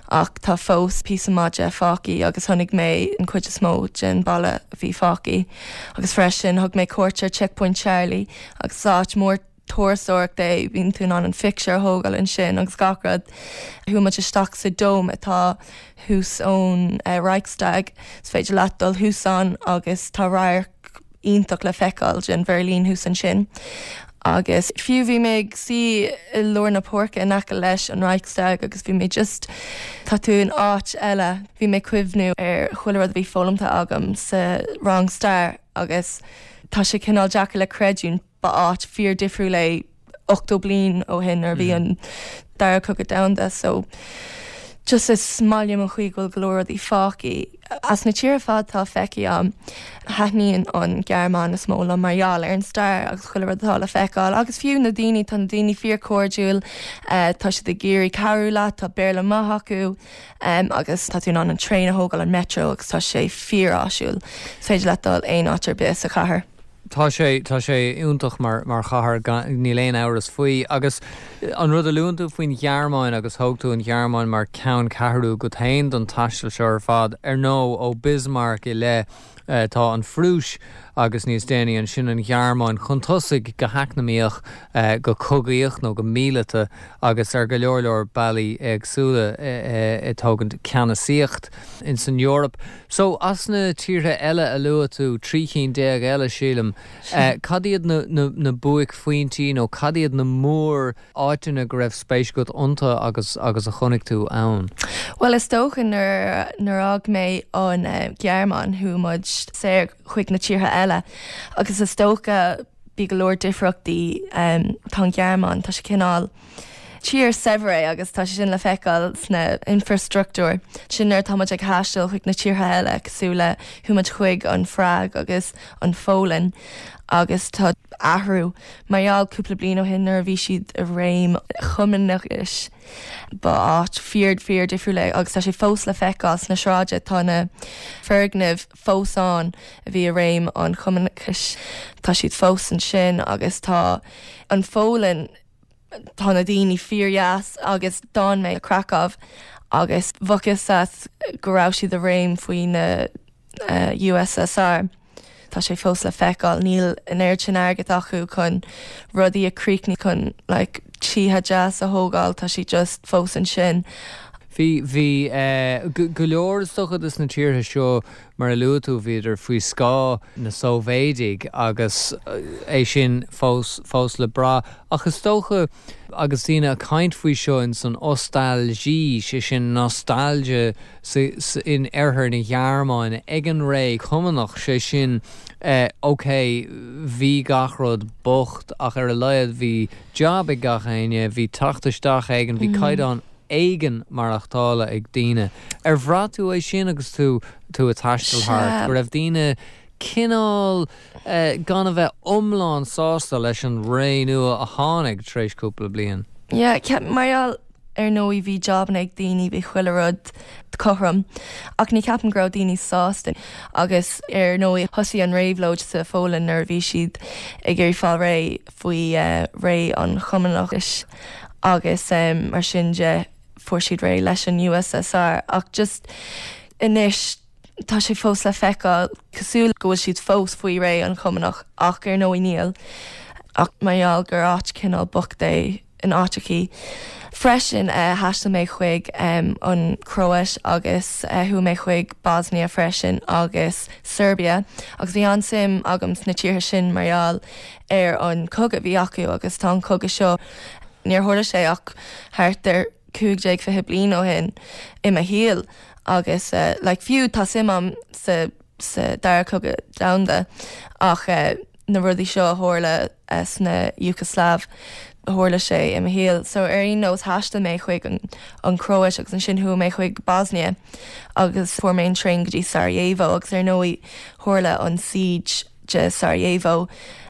Speaker 8: ach tá fós píosa maith de fágtha agus chonaic mé an chuid is mó den balla a bhí fágtha. Agus freisin thug mé cuairt ar Checkpoint Charlie agus áit mór turasóireachta é, bíonn tú in ann an pictiúr a thógáil ansin agus gach rud. Chuaigh muid isteach sa dome atá thuas ón Reichstag, is féidir leat dul thuas ann agus tá radharc iontach le feiceáil den Bheirlín thuas ansin. Agus fiú bhí mé ag suí i lár na páirce in aice leis an Reichstag agus bhí mé just tá tú in áit eile, bhí mé cuimhniú ar chuile rud a bhí foghlamtha agam sa rang stair agus tá sé cineál deacair le creidiúint ba áit fíor difriúil é ochtó bliain ó shin nuair a bhí an dara cogadh domhanda so just is maith liom an chaoi go bhfuil go leor rudaí fágtha. As na tíortha ar fad atá feicthe agam, thaitníonn an Ghearmáin is mó liom mar gheall ar an stair agus chuile rud atá le feiceáil agus fiú na daoine, tá na daoine fíor cairdiúil, tá siad ag iarraidh cabhrú leat, tá Béarla maith acu agus tá tú in ann an traein a thógáil an metro agus tá sé fíor áisiúil. Is féidir leat dul aon áit ar bith sa chathair.
Speaker 1: Tá sé tá sé iontach mar mar chathair níl aon amhras faoi agus an rud a luann tú faoin Ghearmáin agus thóg tú an Ghearmáin mar ceanncheathrú agat féin don taisteal seo ar fad ar ndóigh ó Bismarck i leith tá an Phrúis agus níos déanaí ansin an Ghearmáin chun tosaigh go heacnamaíoch go cogaíoch nó go míleata agus ar go leor leor bealaí éagsúla ag tógaint ceannasaíocht in san Eoraip. So as na tíortha eile a luaigh tú trí cinn déag eile sílim, cad iad na, na, na buaicphointí nó cad iad na mór áiteanna go raibh spéis agat iontu agus agus a chonaic tú ann?
Speaker 8: Well is dócha nuair nuair a fhág mé an Ghearmáin chuaigh muid saor chuig na tíortha eile agus is dócha bhí go leor difríochtaí tá an Ghearmáin tá sé cineál Tír saibhir é agus tá sé sin le feiceáil sna infrastruchtúr. Sin nuair tá muid ag taisteal chuig na tíortha eile cosúil le chuaigh muid chuig an Phrág agus an Pholainn agus tá athrú mar gheall cúpla bliain ó shin nuair a bhí siad i réim chumannachais ba áit fíor fíor difriúil é agus tá sé fós le feiceáil sna sráide tá na foirgnimh fós ann a bhí i réim an chumannachais tá siad fós ansin agus tá an Pholainn tá na daoine fíordheas agus d'fhan mé i Krakow agus bheadh a fhios agat go raibh siad i réim faoi na uh, USSR. Tá sé fós le feiceáil níl an oiread sin airgead acu chun rudaí a chríochnú chun like, tithe deas a thógáil tá sí just fós ansin.
Speaker 1: Bhí bhí uh, go leor is dócha des na tíortha seo mar a luaigh tú bhíodar faoi scáth na Sóivéadaigh agus é sin fós fós le brath ach is dócha agus daoine ag caint faoi seo in san Ostalgie sé sin nostalgia in oirthear na Gearmáine ag an ré cumannach sé sin eh, ok bhí gach rud bocht ach ar a laghad bhí job ag gach éinne bhí teacht isteach éigin bhí mm. caighdeán éigin maireachtála ag daoine. Ar bhraith tú é sin agus tú tú ag taisteal thart, go raibh daoine cineál eh, gan a bheith iomlán sásta leis an ré nua a tháinig tar éis cúpla bliain.
Speaker 8: Yeah, mar ar ndóigh bhí jobanna ag daoine bhí chuile rud cothrom ach ní ceapaim go raibh daoine sásta agus ar ndóigh thosaigh an réabhlóid sa Pholainn nuair a bhí siad ag iarraidh fáil réidh faoi uh, ré an chumannachais agus um, mar sin de fuair siad réidh leis an USSR ach just anois tá sé fós le feiceáil cosúil go bhfuil siad fós faoi ré an chumannach ach ar ndóigh níl ach mar gheall gur áit cineál bocht é in áiteachaí. Freisin uh, thaistil mé chuig um, an Chróit agus uh, chuaigh mé chuig Bosnia freisin agus Serbia agus bhí an-suim agam sna tíortha sin mar gheall ar an cogadh bhí acu agus tá an cogadh seo níor tharla sé ach thart ar cúig déag fiche bliain ó shin i mo shaol agus uh, like, fiú tá suim agam sa sa dara cogadh domhanda ach uh, na rudaí seo a tharla uh, sna Yugoslav tharla sé i mo shaol, so ar aon nós thaistil mé chuig an, an Chróit agus ansin chuaigh mé chuig Bosnia agus fuair mé an traein go dtí Sarajevo agus ar ndóigh tharla an siege de Sarajevo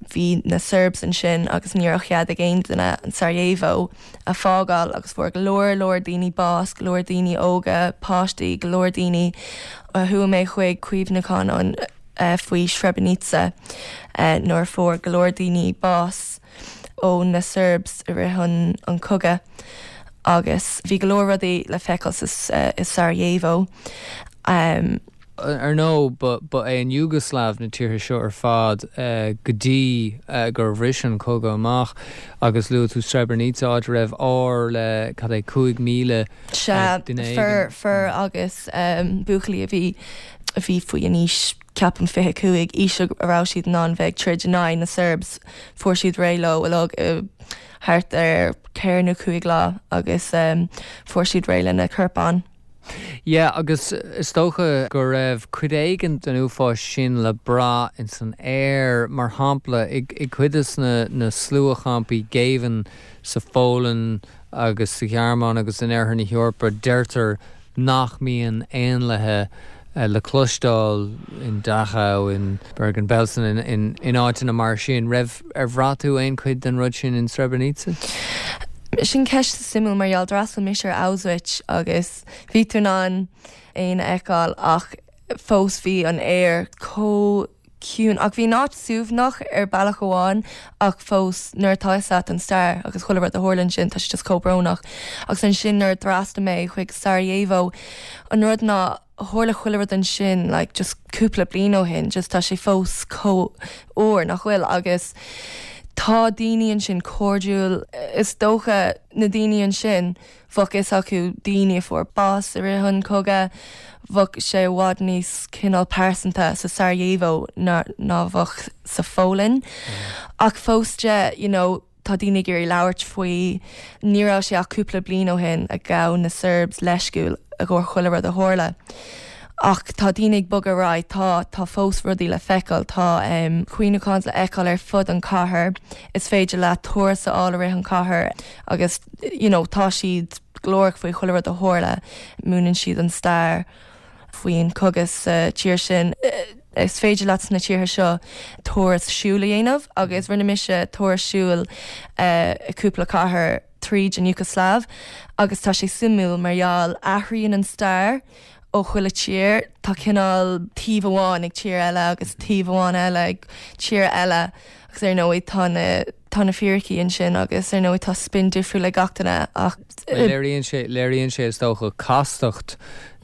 Speaker 8: bhí na Serbs ansin agus ní raibh cead ag aon duine an Sarajevo a fágáil agus fuair go leor leor daoine bás, go leor daoine óga, páistí, go leor daoine a chuaigh mé chuig cuimhneachán an uh, faoi Srebrenica uh, nuair fuair go leor daoine bás ó na Serbs i rith an, an cogadh agus bhí go leor rudaí le feiceáil uh, i Sarajevo. Um,
Speaker 1: ar ndóigh ba é an Yugoslav na tíortha seo ar fad uh, go dtí uh, gur bhris an cogadh amach agus luaigh tú Srebrenica áit raibh ár le cad é cúig míle
Speaker 8: fir fir agus um, buachaillí a bhí a bhí faoi an aois ceapaim fiche cúig aois a raibh siad in ann bheith troid in aghaidh na Serbs fuair siad réidh leo uilig thart ar ceithre nó cúig lá agus um, fuair siad réidh lena corpáin.
Speaker 1: Yeah, agus is dócha go raibh cuid éigin den uafás sin le brath in san aer mar shampla i, i cuid de na, na sluachampaí géibhinn sa Pholainn agus sa Ghearmáin agus in oirthear na hEorpa deirtear nach mbíonn éanlaithe uh, le cloisteáil in Dachau in Bergen-Belsen in, in, in áiteanna mar sin raibh ar bhraith tú aon chuid den rud sin in Srebrenica?
Speaker 8: Sin ceist suimiúil mar gheall d'fhreastail mise ar Auschwitz agus bhí tú in ann éin a fheiceáil ach fós bhí an aer chomh ciúin ach bhí an áit suaimhneach ar bealach amháin ach fós nuair atá agat an stair agus chuile rud a tharla ansin tá sé just chomh brónach agus ansin nuair d'fhreastail mé chuig Sarajevo an rud ná tharla chuile rud ansin like, just cúpla bliain ó shin just tá sé fós chomh úr nach bhfuil agus tá daoine ansin cairdiúil is dócha na daoine ansin bheadh fhios acu daoine a fuair bás i rith an cogadh bheadh sé i bhfad níos cineál pearsanta sa Sarajevo ná ná bheadh sa Pholainn. Ach fós de you know, tá daoine ag iarraidh labhairt faoi ní raibh sé ach cúpla bliain ó shin a ghabh na Serbs leithscéal i gcomhair chuile rud a tharla. Ach tá daoine ag bogadh ar aghaidh, tá tá fós rudaí le feiceáil, tá um, cuimhneacháin le feiceáil ar fud an cathair, is féidir leat turas a fháil i rith an cathair agus you know, tá siad glórach faoi chuile rud a tharla, múineann siad an stair faoin cogadh sa tír sin. Is féidir leat sna tíortha seo turas siúil a dhéanamh agus rinne mise turas siúil uh, i cúpla cathair tríd an Iúgoslaiv agus tá sé suimiúil mar gheall athraíonn an stair ó chuile tír tá cineál taobh amháin ag tír eile agus taobh amháin eile ag tír eile agus ar ndóigh tá na tá na fíricí ansin agus ar ndóigh tá spin difriúil ag gach duine ach
Speaker 1: Léiríonn sé léiríonn sé is dócha castacht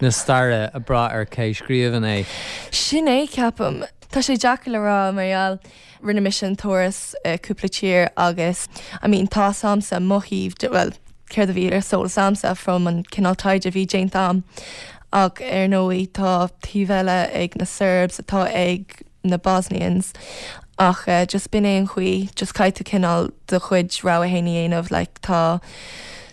Speaker 1: na staire ag brath ar cé scríobhann é.
Speaker 8: Sin é ceapaim. Tá sé deacair le rá mar gheall rinne mise an turas uh, cúpla tír agus I mean tá agamsa mo thaobh well céard a bhí ar eolas agamsa from an cineál taighde a bhí déanta agam ach ar ndóigh tá taobh eile ag na Serbs atá ag na Bosnians ach uh, just b'in é an chaoi just caithfidh tú cineál do chuid rogha féin a dhéanamh like, tá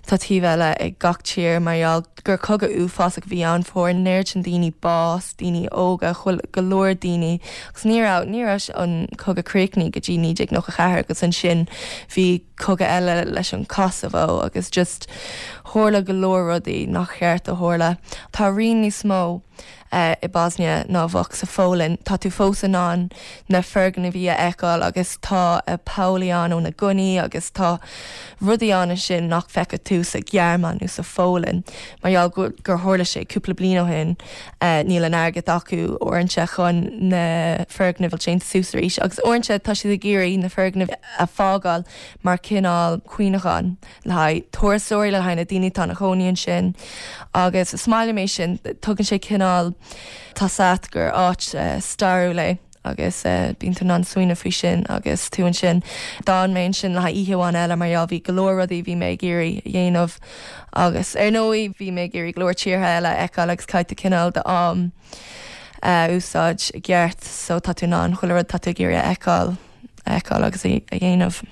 Speaker 8: tá taobh eile ag gach tír mar gheall gur cogadh uafásach a bhí ann fuair an oiread sin daoine bás, daoine óga, chuil go leor daoine agus ní raibh ní raibh an cogadh críochnaithe go dtí naoi déag nócha ceathair agus ansin bhí cogadh eile leis an Kosovo agus just tharla go leor rudaí nach cheart a tharla. Tá rian níos mó uh, i Bosnia ná bheadh sa Pholainn. Tá tú fós in ann na foirgnimh a fheiceáil agus tá a pollaí ann ó na gunnaí agus tá rudaí ann sin nach bhfeicfidh tú sa Ghearmáin nó sa Pholainn. Mar gheall gur gur tharla sé cúpla bliain ó shin uh, níl an airgead acu uaireanta chun na foirgnimh a dhéanamh suas arís agus uaireanta tá siad ag iarraidh na foirgnimh a fhágáil mar cineál cuimhneachán le haghaidh turasóirí le haghaidh na daoine atá ina gcónaí ansin agus is maith liom é sin tugann sé cineál tá sat gur áit uh, stairiúil é agus uh, bíonn tú in ann smaoineamh faoi sin agus tú ansin d'fhan mé ansin le haghaidh oíche amháin eile mar gheall bhí go leor rudaí bhí mé ag iarraidh a dhéanamh agus ar ndóigh bhí mé ag iarraidh go leor tíortha eile a fheiceáil agus caithfidh tú cineál d'am uh, úsáid i gceart so tá tú in ann chuile rud tá tú ag iarraidh a fheiceáil a fheiceáil agus a a dhéanamh.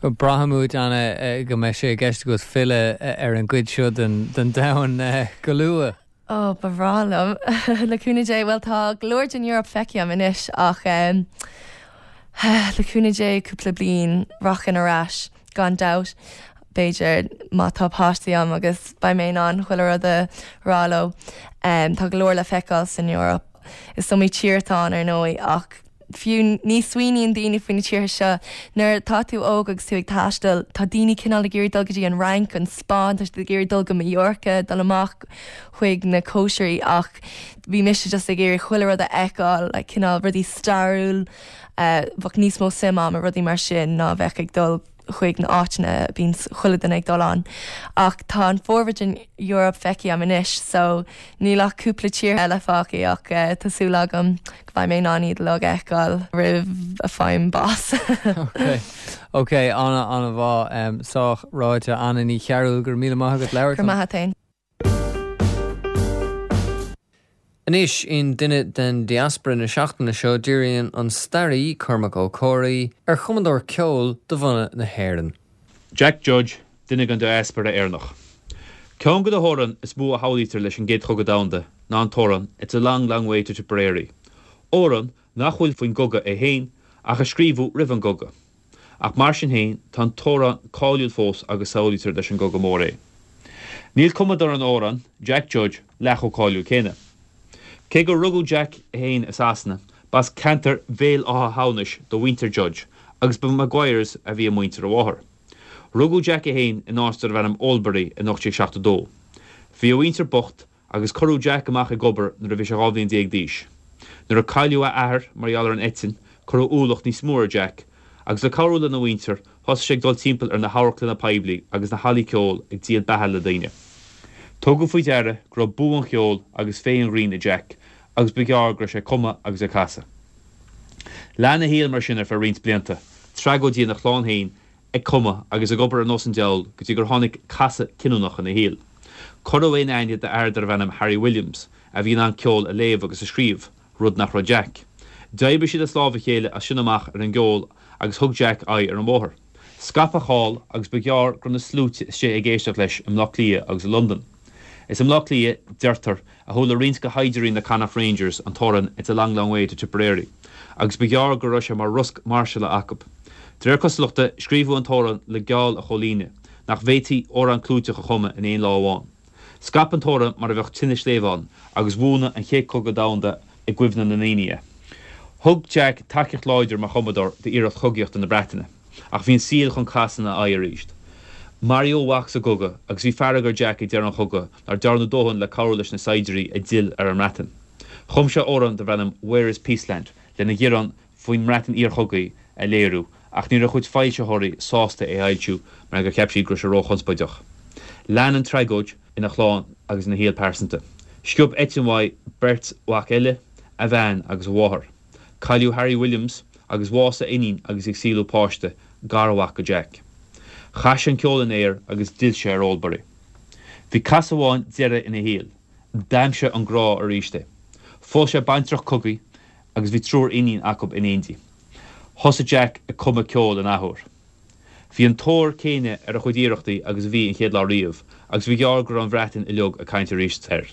Speaker 1: Braithimid Anna go mbeidh sé i gceist agat filleadh ar an gcuid seo den den domhan go luath.
Speaker 8: Ó ba bhreá liom le cúnamh Dé well tá go leor den Eoraip feicthe agam anois ach um, le cúnamh Dé cúpla bliain rachainn ar ais gan dabht b'fhéidir má tá páistí agam agus beidh mé in ann chuile rud a rá leo. Um, tá go leor le feiceáil san Eoraip. Is iomaí tír atá ann ar ndóigh ach fiú ní smaoiníonn daoine faoi na tíortha seo nuair tá tú óg agus tú ag taisteal tá daoine cineál ag iarraidh dul go dtí an Fhrainc an Spáinn tá siad ag iarraidh dul go Mallorca dul amach chuig na cóisirí ach bhí mise just ag iarraidh chuile rud a fheiceáil like, cineál rudaí stairiúil uh, bheadh níos mó suim agam i rudaí mar sin ná bheith ag dul chuig na áiteanna bíonn chuile duine ag dul ann. Ach tá an formhór den Eoraip feicthe agam anois, so níl ach cúpla tír eile fágtha ach uh, tá súil agam go mbeidh mé in ann iad uilig a fheiceáil roimh a bhfaighim bás.
Speaker 1: Ok, Ok Anna Anna bhá um, sách ráite Anna Ní Chearúil go raibh míle maith agat labhairt.
Speaker 8: Gur maith féin.
Speaker 1: Anois in duine den diaspora na seachtaine seo díríonn an staraí Cormac Ó Comhraí ar chumadóir ceoil de bhunadh na hÉireann.
Speaker 9: Jack Judge, duine den diaspora Éireannach. Ceann de na hamhráin is mó a shamhlaítear leis an gCéad Chogadh Domhanda ná an t-amhrán It's a long, long way to Tipperary. Amhrán nach bhfuil faoin gcogadh é féin ach a scríobhadh roimh an gcogadh. Ach mar sin féin tá an t-amhrán cáiliúil fós agus samhlaítear leis an gcogadh mór é. Níl cumadóir an amhráin, Jack Judge, leath chomh cáiliúil céanna. Cé gur rugadh Jack féin i Sasana, b'as ceantar Bhéal Átha hAmhnais do mhuintir Judge agus ba Maguires a bhí i muintir a mháthar. Rugadh Jack é féin in áit darbh ainm Oldbury in ocht déag seachtó dó. Bhí a mhuintir bocht agus cuireadh Jack amach ag obair nuair a bhí sé dhá bhliain déag d'aois. Nuair a cailleadh a athair mar gheall ar an eitinn, cuireadh ualach níos mó ar Jack, agus le cabhrú lena mhuintir, thosaigh sé ag dul timpeall ar na hamharclanna poiblí agus na hallaí ceoil ag díol beatha le daoine. Tugadh faoi deara go raibh bua an cheoil agus féith an ghrinn i Jack agus ba ghearr go raibh sé ag cumadh agus ag casadh. Lean a shaol mar sin ar feadh roinnt blianta, tragóidí ina chlann féin, ag cumadh agus ag obair ar nós an diabhail go dtí gur tháinig casadh cinniúnach ina shaol. Cuireadh é in aithne d'fhear darbh ainm Harry Williams, a bhí in ann ceol a léamh agus a scríobh, rud nach raibh Jack. D'oibrigh siad as lámh a chéile as sin amach ar an gceol agus thug Jack aghaidh ar an mbóthar. Scaip a cháil agus ba ghearr go raibh na sluaite istigh ag éisteacht leis i mBleá Cliath agus i Londain. Is i mBleá Cliath, deirtear, a chuala roinnt de shaighdiúirí na Connacht Rangers an t-amhrán It's a Long Long Way to Tipperary, agus ba ghearr go raibh sé mar rosc máirseála acu. De réir cosúlachta, scríobhadh an t-amhrán le geall a chomhlíonadh, nach bhféadfaí amhrán clúiteach a chumadh in aon lá amháin. Scaip an t-amhrán mar a bheadh tine sléibhe agus bhuanaigh an Chéad Chogadh Domhanda i gcuimhne na ndaoine é. Thug Jack tacaíocht láidir mar chumadóir d'iarracht chogaíochta na Breataine, ach bhí an saol chun casadh ina aghaidh arís. Maraíodh a mhac sa gcogadh agus bhí fearg ar Jack ag deireadh an chogaidh nár dearnadh dóthain le cabhrú leis na saighdiúirí a d'fhill ar an mBreatain. Chum sé amhrán darbh ainm Where is Peaceland lena ghearán faoin mBreatain iarchogaidh a léiriú ach ní raibh a chuid foilsitheoirí sásta é a fhoilsiú mar gur cheap siad go raibh sé róchonspóideach. Lean an tragóid ina chlann agus ina shaol pearsanta. Sciob eitinn uaidh beirt mhac eile, a bhean agus a mháthair. Cailleadh Harry Williams agus bhásaigh a iníon agus í ag saolú páiste, garmhac do Jack. Chaith sé an ceol in aer agus d'fhill sé ar Oldbury. Bhí casadh amháin deiridh ina shaol. D'aimsigh an grá arís é. Phós sé baintreach cogaidh agus bhí triúr iníon acu in éindí. Thosaigh Jack ag cumadh ceoil an athuair. Bhí an tóir céanna ar a chuid iarrachtaí agus a bhí an chéad lá riamh agus ba ghearr go raibh an Bhreatain uilig ag caint arís air.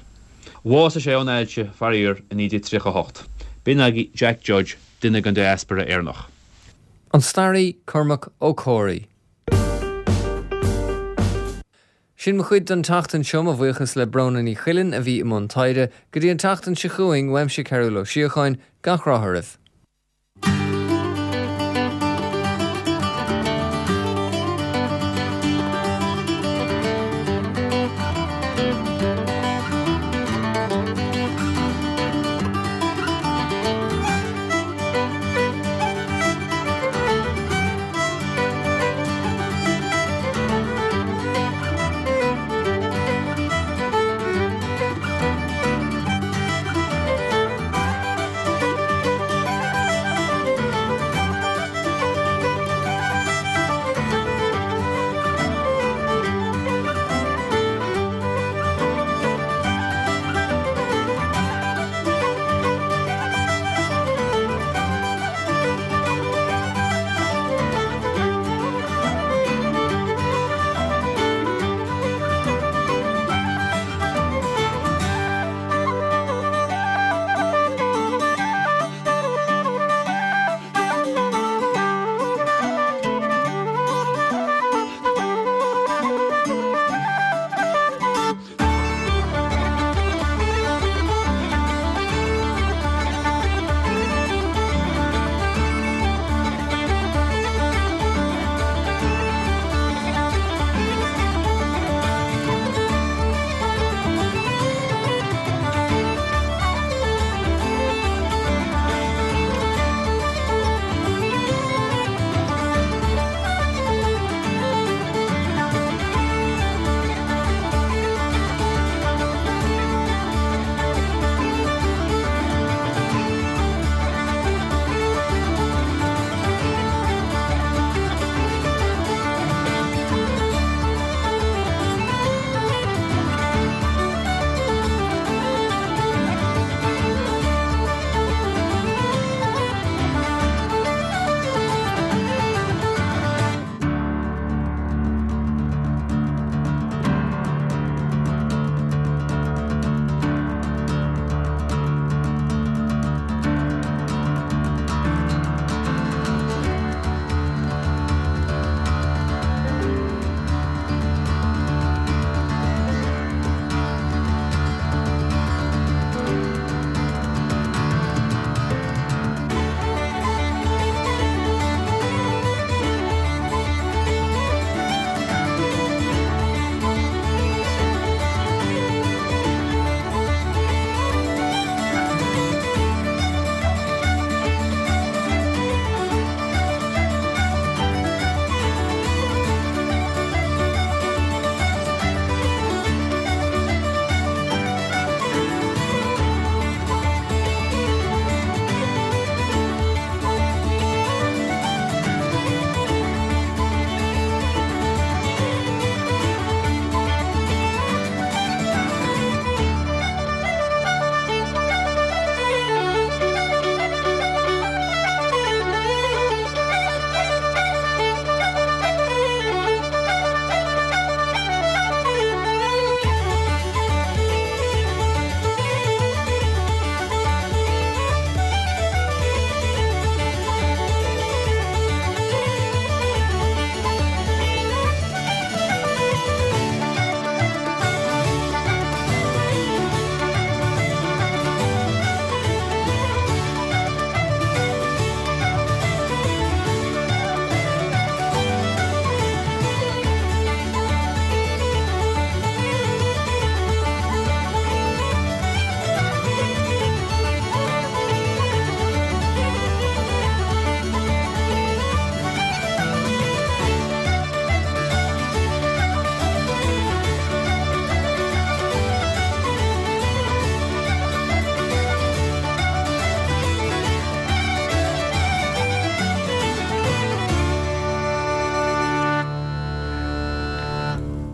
Speaker 9: Bhásaigh sé ón ailse, faraor, i naoi déag tríocha a hocht. B'in agaibh Jack Judge, duine den diaspora Éireannach.
Speaker 1: An staraí Cormac Ó Comhraí. Sin mo chuid don tseachtain seo mo bhuíochas le Bróna Ní Chuilinn a bhí i mbun taighde, go dtí an tseachtain seo chugainn uaimse Cearbhall Ó Síocháin, gach rath oraibh.